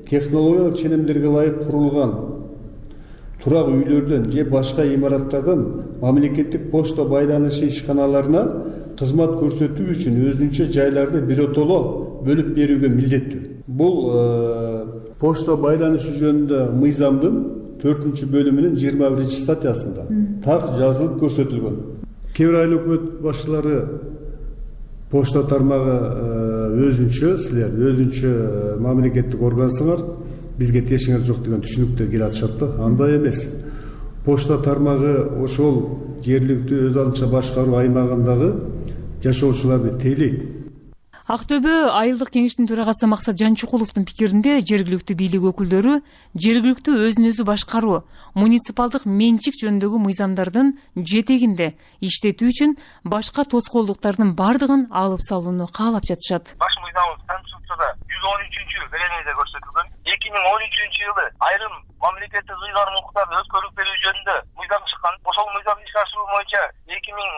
F: технологиялык ченемдерге ылайык курулган турак үйлөрдөн же башка имараттардан мамлекеттик почта байланышы ишканаларына кызмат көрсөтүү үчүн өзүнчө жайларды биротоло бөлүп берүүгө милдеттүү. Бул почта байланышы жөнүндө мыйзамдын төртүнчү бөлүмүнүн жыйырма биринчи статьясында так жазылып көрсөтүлгөн. Кээ бир айыл өкмөт башчылары почта тармагы өзүнчө, силер өзүнчө мамлекеттик органсыңар, бизге тиешиңер жок деген түшүнүктө келе атышат да. Андай эмес. Почта тармагы ошол жергиликтүү өз алдынча башкаруу аймагындагы жашоочуларды тейлейт.
Y: Актөбө айылдык кеңештин төрагасы Максат Жанчукуловдун пикиринде жергиликтүү бийлик өкүлдөрү жергиликтүү өзүн өзү башкаруу, муниципалдык менчик жөнүндөгү мыйзамдардын жетегинде иштетүү үчүн башка тоскоолдуктардын бардыгын алып салууну каалап жатышат.
Z: Баш мыйзамыбыз Конституцияда жүз он үчүнчү беренеде көрсөтүлгөн. эки миң он үчүнчү жылы айрым мамлекеттик ыйгарым укуктарды өткөрүп берүү жөнүндө мыйзам чыккан. Ошол мыйзамды ишке ашыруу боюнча эки миң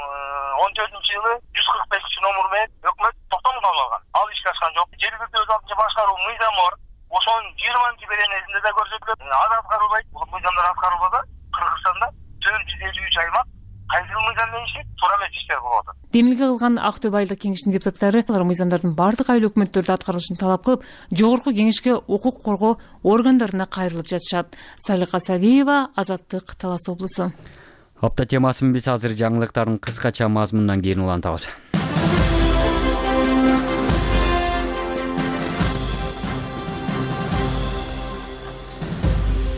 Z: он төртүнчү жылы жүз кырк бешинчи номер менен өкмөт токтомун алган. Ал ишке ашкан жок. Жергиликтүү өз алдынча башкаруу мыйзамы бар. Ошонун жыйырманчы беренесинде да көрсөтүлөт. Az аткарылбайт. Бул мыйзамдар аткарылбаса, Кыргызстанда төрт жүз элүү үч аймак кайсы мыйзам менен иштейт, туура эмес иштер болуп атат.
Y: Демилге кылган Актөбө айылдык кеңештин депутаттары алар мыйзамдардын бардык айыл өкмөттөрдө аткарылышын талап кылып, жогорку кеңешке укук коргоо органдарына кайрылып жатышат. Салика Савиева, Азаттык, Талас облусу.
A: Апта темасын биз азыр жаңылыктардын кыскача мазмунунан кийин улантабыз.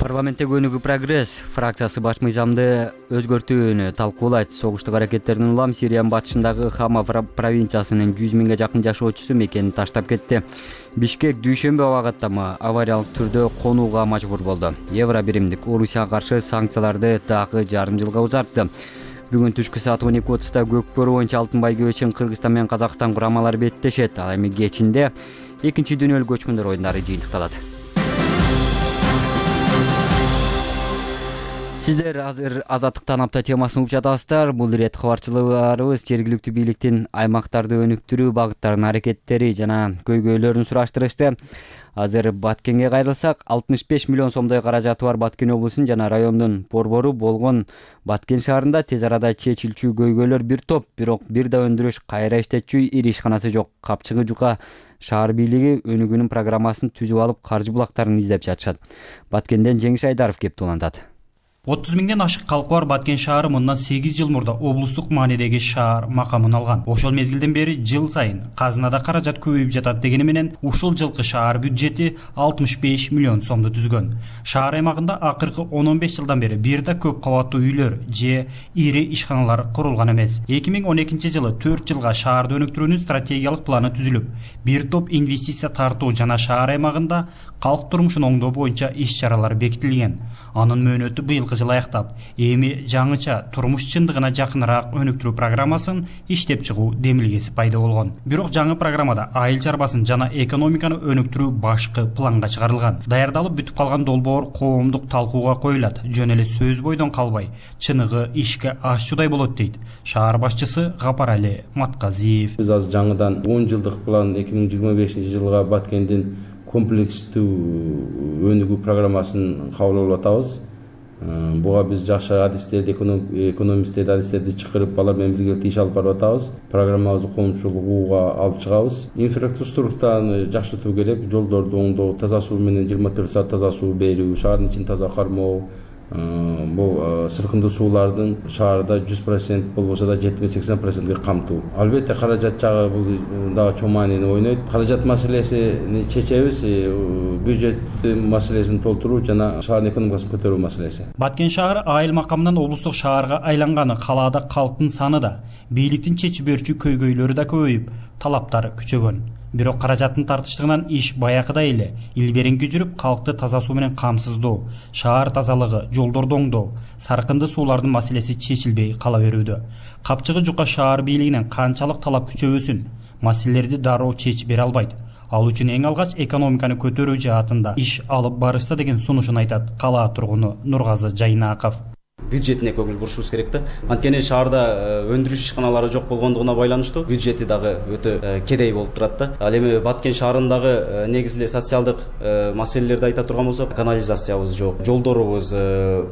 A: Парламентте Өнүгүү Прогресс фракциясы баш мыйзамды өзгөртүүнү талкуулайт. Согуштук аракеттердин улам Сириянын батышындагы Хама провинциясынын жүз миңге жакын жашоочусу мекенин таштап кетти. Бишкек дүйшөмбү абагаттама авариялык түрдө конууга мажбур болду. Евро биримдик Орусияга каршы санкцияларды дагы жарым жылга узартты. Бүгүн түшкү саат он эки отузда Көкбөрү боюнча алтын байгөө үчүн Кыргызстан менен Казакстан курамалары беттешет. Ал эми кечинде экинчи дүйнөлүк көчмөндөр оюндары жыйынтыкталат. Сиздер азыр Азаттыктан апта темасын угуп жатасыздар. Бул ирет кабарчыларыбыз жергиликтүү бийликтин аймактарды өнүктүрүү багыттарынын аракеттери жана көйгөйлөрүн сураштырышты. Азыр Баткенге кайрылсак, алтымыш беш миллион сомдой каражаты бар Баткен облусунун жана райондун борбору болгон Баткен шаарында тез арада чечилчү көйгөйлөр бир топ, бирок бир да өндүрүш кайра иштетчү ири ишканасы жок. Капчыгы жука шаар бийлиги өнүгүүнүн программасын түзүп алып, каржы булактарын издеп жатышат. Баткенден Жеңиш Айдаров кеп улантат.
G: отуз миңден ашык калкы бар Баткен шаары мындан сегиз жыл мурда облустук маанидеги шаар макамын алган. Ошол мезгилден бери жыл сайын казынада каражат көбөйүп жатат дегени менен ушул жылкы шаар бюджети алтымыш беш миллион сомду түзгөн. Шаар аймагында акыркы он он беш жылдан бери бир да көп кабаттуу үйлөр же ири ишканалар курулган эмес. эки миң он экинчи жылы төрт жылга шаарды өнүктүрүүнүн стратегиялык планы түзүлүп, бир топ инвестиция тартуу жана шаар аймагында калк турмушун оңдоо боюнча иш-чаралар бекитилген. Анын мөөнөтү быйылкы жыл аяктап, эми жаңыча турмуш чындыгына жакыныраак өнүктүрүү программасын иштеп чыгуу демилгеси пайда болгон. Бирок жаңы программада айыл чарбасын жана экономиканы өнүктүрүү башкы планга чыгарылган. Даярдалып бүтүп калган долбоор коомдук талкууга коюлат. Жөн эле сөз бойдон калбай, чыныгы ишке ашчудай болот дейт шаар башчысы Гапарали Матказиев.
H: Биз азыр жаңыдан он жылдык план эки миң жыйырма бешинчи жылга Баткендин комплекстүү өнүгүү программасын кабыл алып атабыз. Буга биз жакшы адистерди, экономисттерди, адистерди чакырып, алар менен биргеликте иш алып барып атабыз. Программабызды коомчулукка алып чыгабыз. Инфраструктураны жакшыртуу керек. Жолдорду оңдоо, таза суу менен жыйырма төрт саат таза суу берүү, шаардын ичин таза кармоо. Бул сыркындуу суулардын шаарда жүз процент болбосо да жетимиш сексен процентке камтуу. Албетте каражат жагы бул дагы чоң маанини ойнойт. Каражат маселесини чечебиз, бюджет маселесин толтуруу жана шаардын экономикасын көтөрүү маселеси.
G: Баткен шаары айыл макамынан облустук шаарга айланганы, калаада калктын саны да, бийликтин чечип берүүчү көйгөйлөрү да көбөйүп, талаптар күчөгөн. Бирок каражаттын тартыштыгынан иш баякыдай эле илбереңки жүрүп, калкты таза суу менен камсыздоо, шаар тазалыгы, жолдорду оңдоо, саркынды суулардын маселеси чечилбей кала берүүдө. Капчыгы жука шаар бийлигинен канчалык талап күчөбөсүн, маселелерди дароо чечип бере албайт. Ал үчүн эң алгач экономиканы көтөрүү жаатында иш алып барышса деген сунушун айтат калаа тургуну Нургазы Жайнаков.
C: Бюджетине көңүл бурушубуз керек да. Анткени шаарда өндүрүш ишканалары жок болгондугуна байланыштуу бюджети дагы өтө кедей болуп турат да. Ал эми Баткен шаарындагы негизи эле социалдык маселелерди айта турган болсок, канализациябыз жок, жолдорубуз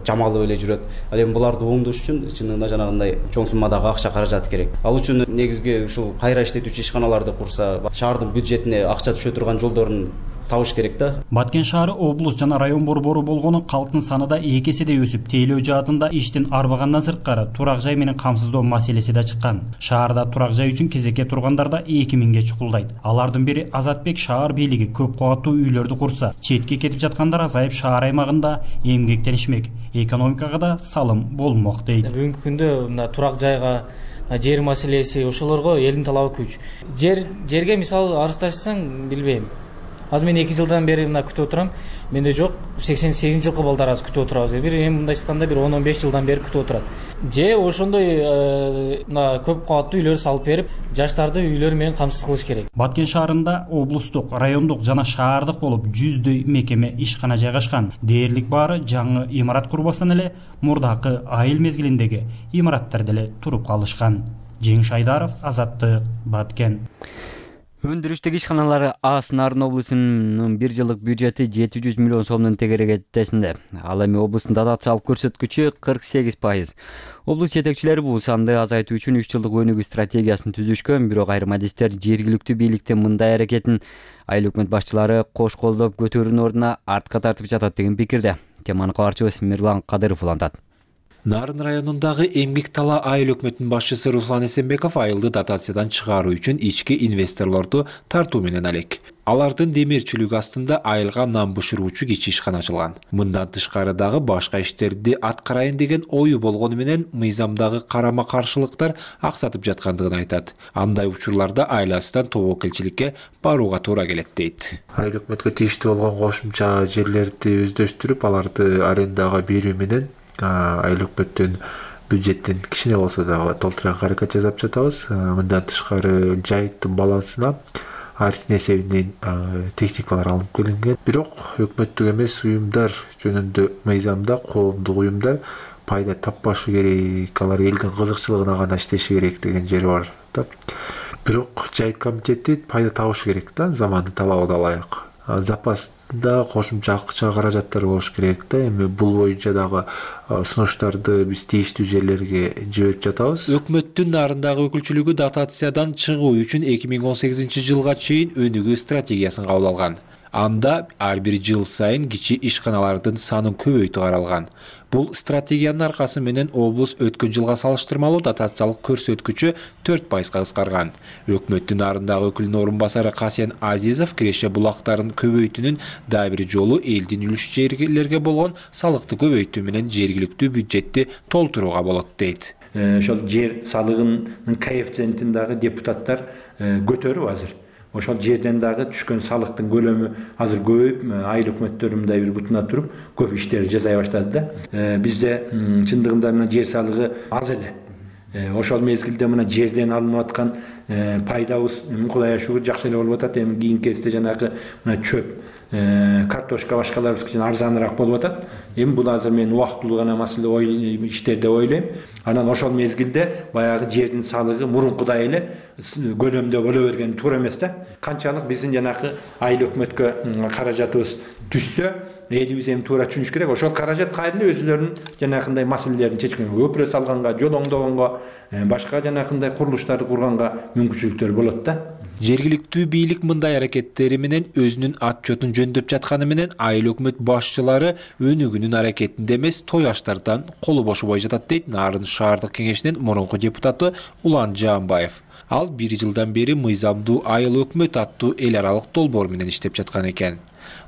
C: жамалып эле жүрөт. Ал эми буларды оңдош үчүн чынында жанагындай чоң суммадагы акча каражат керек. Ал үчүн негизги ушул кайра иштетүүчү ишканаларды курса, шаардын бюджетине акча түшө турган жолдорун табыш керек да.
G: Баткен шаары облус жана район борбору болгону калктын саны да эки эседей өсүп, тейлөө жаатында иштин арбагандан сырткары турак жай менен камсыздоо маселеси да чыккан. Шаарда турак жай үчүн кезекке тургандар да эки миңге чукулдайт. Алардын бири Азатбек шаар бийлиги көп кабаттуу үйлөрдү курса, четке кетип жаткандар азайып шаар аймагында эмгектенишмек, экономикага да салым болмок дейт.
D: Бүгүнкү күндө мына турак жайга, жер маселеси ошолорго элдин талабы күч. Жер жерге мисалы арыздашсаң, билбейм. Азыр мен эки жылдан бери мына күтүп отурам. Менде жок, сексен сегизинчи жылкы балдар азыр күтүп отурабыз. Бир эми мындай айтканда бир он он беш жылдан бери күтүп отурат. Же ошондой мына көп кабаттуу үйлөр салып берип, жаштарды үйлөр менен камсыз кылыш керек.
G: Баткен шаарында облустук, райондук жана шаардык болуп жүздөй мекеме ишкана жайгашкан. Дээрлик баары жаңы имарат курбастан эле мурдакы айыл мезгилиндеги имараттар деле туруп калышкан. Жеңиш Айдаров, Азаттык, Баткен.
A: Өндүрүштүк ишканалары Аас Нарын облусунун бир жылдык бюджети жети жүз миллион сомдун тегерегетесинде. Ал эми облустун дотациялык көрсөткүчү кырк сегиз пайыз. Облус жетекчилери бул санды азайтуу үчүн үч жылдык өнүгүү стратегиясын түзүшкөн, бирок айрым адистер жергиликтүү бийликтин мындай аракетин айыл өкмөт башчылары кош колдоп көтөрүүнүн ордуна артка тартып жатат деген пикирде. Теманы кабарчыбыз Мирлан Кадыров улантат.
I: Нарын районундагы эмгек тала айыл өкмөтүнүн башчысы Руслан Эсенбеков айылды дотациядан чыгаруу үчүн ички инвесторлорду тартуу менен алек. Алардын демирчилиги астында айылга нам бышыруучу кичи ишкана ачылган. Мындан тышкары дагы башка иштерди аткарайын деген ою болгону менен мыйзамдагы карама каршылыктар аксатып жаткандыгын айтат. Андай учурларда айласынан тобокелчиликке барууга туура келет дейт.
J: Айыл өкмөткө тийиштүү болгон кошумча жерлерди өздөштүрүп, аларды арендага берүү менен айыл өкмөттүн бюджеттин кичине болсо дагы толтурган аракет жасап жатабыз. Мындан тышкары жайыттын балансына арстин эсебинен техникалар алынып келинген. Бирок өкмөттүк эмес уюмдар жөнүндө мыйзамда коомдук уюмдар пайда таппашы керек, алар элдин кызыкчылыгына гана иштеши керек деген жери бар да. Бирок жайыт комитети пайда табышы керек да, замандын талабына ылайык. Запаста кошумча акча каражаттар болуш керек да. Эми бул боюнча дагы сунуштарды биз тийиштүү жерлерге жиберип жатабыз.
I: Өкмөттүн нарындагы өкүлчүлүгү дотациядан чыгуу үчүн эки миң он сегизинчи жылга чейин өнүгүү стратегиясын кабыл алган. Анда ар бир жыл сайын кичи ишканалардын санын көбөйтүү каралган. Бул стратегиянын аркасы менен облус өткөн жылга салыштырмалуу дотациялык көрсөткүчү төрт пайызга кыскарган. Өкмөттүн нарындагы өкүлүнүн орун басары Касен Азизов Киреше булактарын көбөйтүүнүн дагы бир жолу элдин үлүш жерлерге болгон салыкты көбөйтүү менен жергиликтүү бюджетти толтурууга болот дейт.
K: Ошол жер салыгынын коэффициентин дагы депутаттар көтөрүп азыр. Ошол жерден дагы түшкөн салыктын көлөмү азыр көбөйүп, айыл өкмөттөрү мындай бир бутуна туруп, көп иштер жасай баштады да. Бизде чындыгында мына жер салыгы аз эле. Ошол мезгилде мына жерден алынып аткан пайдабыз Кудайга шүгүр жакшы эле болуп атат. Эми кийинки кезде жанагы мына чөп, картошка башкаларыбыз кичине арзаныраак болуп атат. Эми бул азыр мен убактылуу гана маселе иштер деп ойлойм. Анан ошол мезгилде баягы жердин салыгы мурункудай эле көлөмдө боло берген туура эмес да. Канчалык биздин жанагы айыл өкмөткө каражатыбыз түшсө, элибиз эми туура түшүнүш керек. Ошол каражат кайра эле өзүлөрүнүн жанагындай маселелерин чечкенге, көпүрө салганга, жол оңдогонго, башка жанагындай курулуштарды курганга мүмкүнчүлүктөр болот да.
I: Жергиликтүү бийлик мындай аракеттери менен өзүнүн отчетун жөндөп жатканы менен айыл өкмөт башчылары өнүгүүнүн аракетинде эмес, той аштардан колу бошобой жатат дейт Нарын шаардык кеңешинин мурунку депутаты Улан Жаанбаев. Ал бир жылдан бери мыйзамдуу айыл өкмөт аттуу эл аралык долбоор менен иштеп жаткан экен.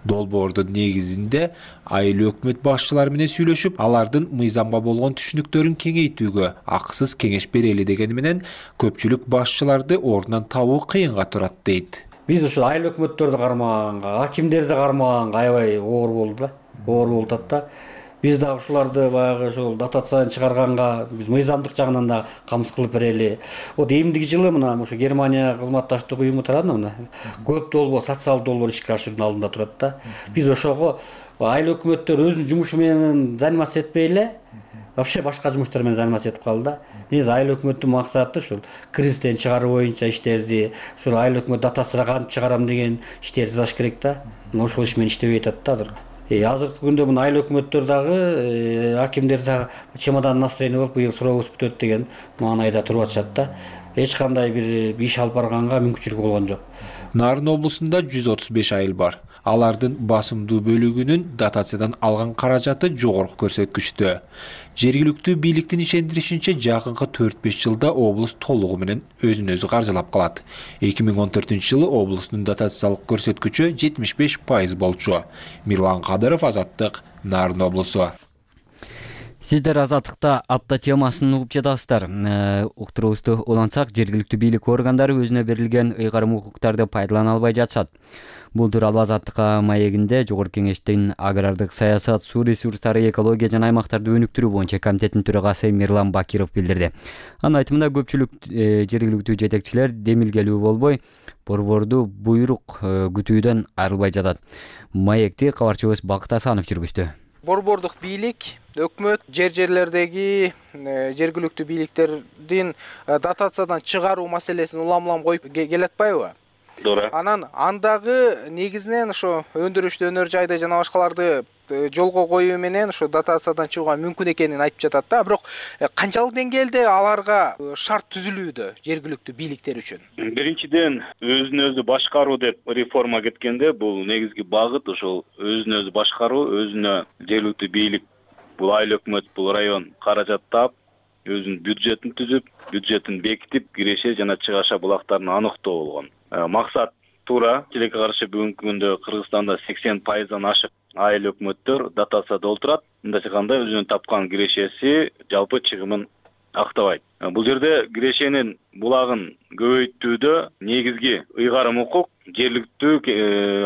I: Долбоордун негизинде айыл өкмөт башчылары менен сүйлөшүп, алардын мыйзамга болгон түшүнүктөрүн кеңейтүүгө акысыз кеңеш берели дегени менен көпчүлүк башчыларды ордунан табуу кыйынга турат дейт.
E: Биз ушул айыл өкмөттөрдү кармаганга, акимдерди кармаганга аябай оор болду да, оор болуп атат да. Биз да ушуларды баягы ушул дотациядан чыгарганга биз мыйзамдык жагынан да камсыз кылып берели. Вот эмдиги жылы мына ушу Германия кызматташтык уюму тарабынан мына көп долбоор, социалдык долбоор ишке ашыруунун алдында турат да. Биз ошого айыл өкмөттөр өзүнүн жумушу менен заниматься этпей эле, вообще башка жумуштар менен заниматься этип калды да. Негизи айыл өкмөттүн максаты ушул кризистен чыгаруу боюнча иштерди, ушул айыл өкмөт дотацияга кантип чыгарам деген иштерди жасаш керек да. Мына ошол иш менен иштебей атат да азыр. Азыркы күндө мына айыл өкмөттөр дагы, акимдер дагы чемодан настроение болуп быйыл сурообуз бүтөт деген маанайда туруп атышат да. Эч кандай бир иш алып барганга мүмкүнчүлүк болгон жок.
I: Нарын облусунда жүз отуз беш айыл бар. Алардын басымдуу бөлүгүнүн дотациядан алган каражаты жогорку көрсөткүчтө. Жергиликтүү бийликтин ишендиришинче жакынкы төрт беш жылда облус толугу менен өзүн өзү каржылап калат. эки миң он төртүнчү жылы облустун дотациялык көрсөткүчү жетимиш беш пайыз болчу. Мирлан Кадыров, Азаттык, Нарын облусу.
A: Сиздер Азаттыкта апта темасын угуп жатасыздар. Уктуруубузду улантсак, жергиликтүү бийлик органдары өзүнө берилген ыйгарым укуктарды пайдалана албай жатышат. Бул тууралуу Азаттыкка маегинде Жогорку Кеңештин агрардык саясат, суу ресурстары, экология жана аймактарды өнүктүрүү боюнча комитеттин төрагасы Мирлан Бакиров билдирди. Анын айтымында көпчүлүк жергиликтүү жетекчилер демилгелүү болбой, борборду буйрук күтүүдөн айрылбай жатат. Маекти кабарчыбыз Бакыт Асанов жүргүздү.
L: Борбордук бийлик, өкмөт жер жерлердеги жергиликтүү бийликтердин дотациядан чыгаруу маселесин улам-улам коюп келатпайбы?
M: Туура.
L: Анан андагы негизинен ошо өндүрүштү өнөр жайды жана башкаларды жолго коюу менен ошо дотациядан чыгууга мүмкүн экенин айтып жатат да. Бирок канчалык деңгээлде аларга шарт түзүлүүдө жергиликтүү бийликтер үчүн?
M: Биринчиден, өзүн өзү башкаруу деп реформа кеткенде бул негизги багыт ошол өзүн өзү башкаруу, өзүнө жергиликтүү бийлик, бул айыл өкмөт, бул район каражат таап, өзүнүн бюджетин түзүп, бюджетин бекитип, киреше жана чыгаша булактарын аныктоо болгон. Максат туура. Тилекке каршы бүгүнкү күндө Кыргызстанда сексен пайыздан ашык айыл өкмөттөр дотацияда отурат. Мындайча айтканда өзүнүн тапкан кирешеси жалпы чыгымын актабайт. Бул жерде кирешенин булагын көбөйтүүдө негизги ыйгарым укук жергиликтүү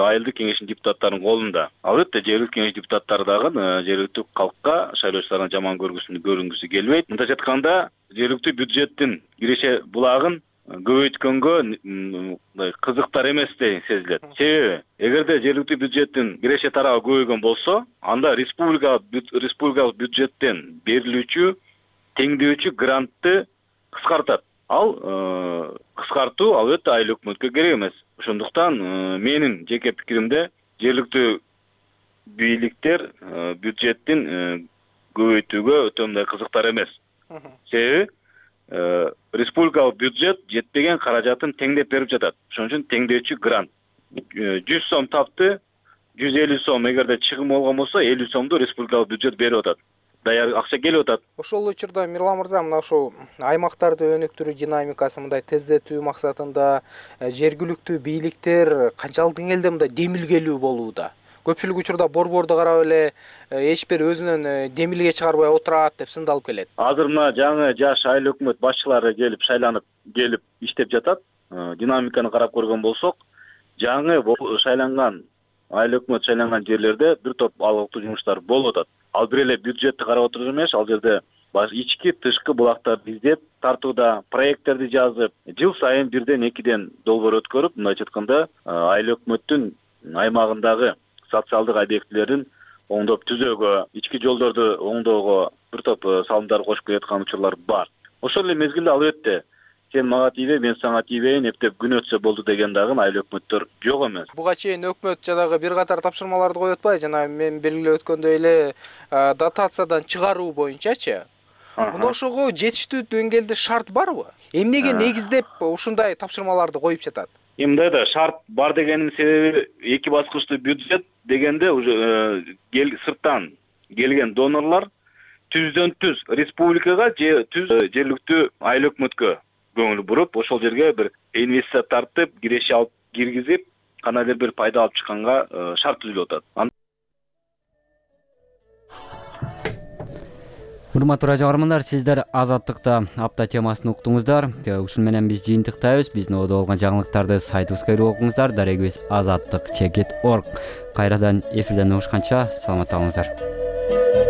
M: айылдык кеңештин депутаттарынын колунда. Албетте жергиликтүү кеңеш депутаттары дагы жергиликтүү калкка, шайлоочулардын жаман көргүсүн көрүнгүсү келбейт. Мындайча айтканда жергиликтүү бюджеттин киреше булагын көбөйткөнгө кызыктар эмес деген сезилет. Себеби эгерде жергиликтүү бюджеттин киреше тарабы көбөйгөн болсо, анда республика республикалык бюджеттен берилүүчү теңдөөчү грантты кыскартат. Ал кыскартуу албетте айыл өкмөткө керек эмес. Ошондуктан менин жеке пикиримде жергиликтүү бийликтер бюджеттин көбөйтүүгө өтө мындай кызыктар эмес. Себеби республикалык бюджет жетпеген каражатын теңдеп берип жатат. Ошон үчүн теңдөөчү грант. жүз сом тапты, жүз элүү сом эгерде чыгым болгон болсо, элүү сомду республикалык бюджет берип атат. Даяр акча келип атат.
L: Ошол учурда Мирлан мырза, мына ошол аймактарды өнүктүрүү динамикасын мындай тездетүү максатында жергиликтүү бийликтер канчалык деңгээлде мындай демилгелүү болууда? Көпчүлүк учурда борборду карап эле эч бир өзүнүн демилге чыгарбай отурат деп сындалып келет.
M: Азыр мына жаңы жаш айыл өкмөт башчылары келип шайланып келип иштеп жатат. Динамиканы карап көргөн болсок, жаңы шайланган айыл өкмөт шайланган жерлерде бир топ алгылыктуу жумуштар болуп атат. Ал бир эле бюджетти карап отуруп эмес, ал жерде ички тышкы булактарды издеп тартууда, проекттерди жазып, жыл сайын бирден экиден долбоор өткөрүп, мындайча айтканда айыл өкмөттүн аймагындагы социалдык объектилерин оңдоп түзөөгө, ички жолдорду оңдоого бир топ салымдар кошуп келаткан учурлар бар. Ошол эле мезгилде албетте сен мага тийбей, мен сага тийбейин, эптеп күн өтсө болду деген дагы айыл өкмөттөр жок эмес.
L: Буга чейин өкмөт жанагы бир катар тапшырмаларды коюп атпайбы? Жана мен белгилеп өткөндөй эле дотациядан чыгаруу боюнчачы. Мына ошого жетиштүү деңгээлде шарт барбы? Эмнеге негиздеп ушундай тапшырмаларды коюп жатат?
M: Эмндай да шарт бар дегенин себеби эки баскычтуу бюджет дегенде уже сырттан келген донорлор түздөн түз республикага же түз жергиликтүү айыл өкмөткө көңүл буруп, ошол жерге бир инвестиция тартып, киреше алып киргизип, кандайдыр бир пайда алып чыкканга шарт түзүлүп атат.
A: Урматтуу радио көрөрмандар, сиздер Азаттыкта апта темасын уктуңуздар. Ушун менен биз жыйынтыктайбыз. Биздин ободо болгон жаңылыктарды сайтыбызга кирип окуңуздар. Дарегибиз азаттык чекит точка орг. Кайрадан эфирден угушканча саламатта калыңыздар.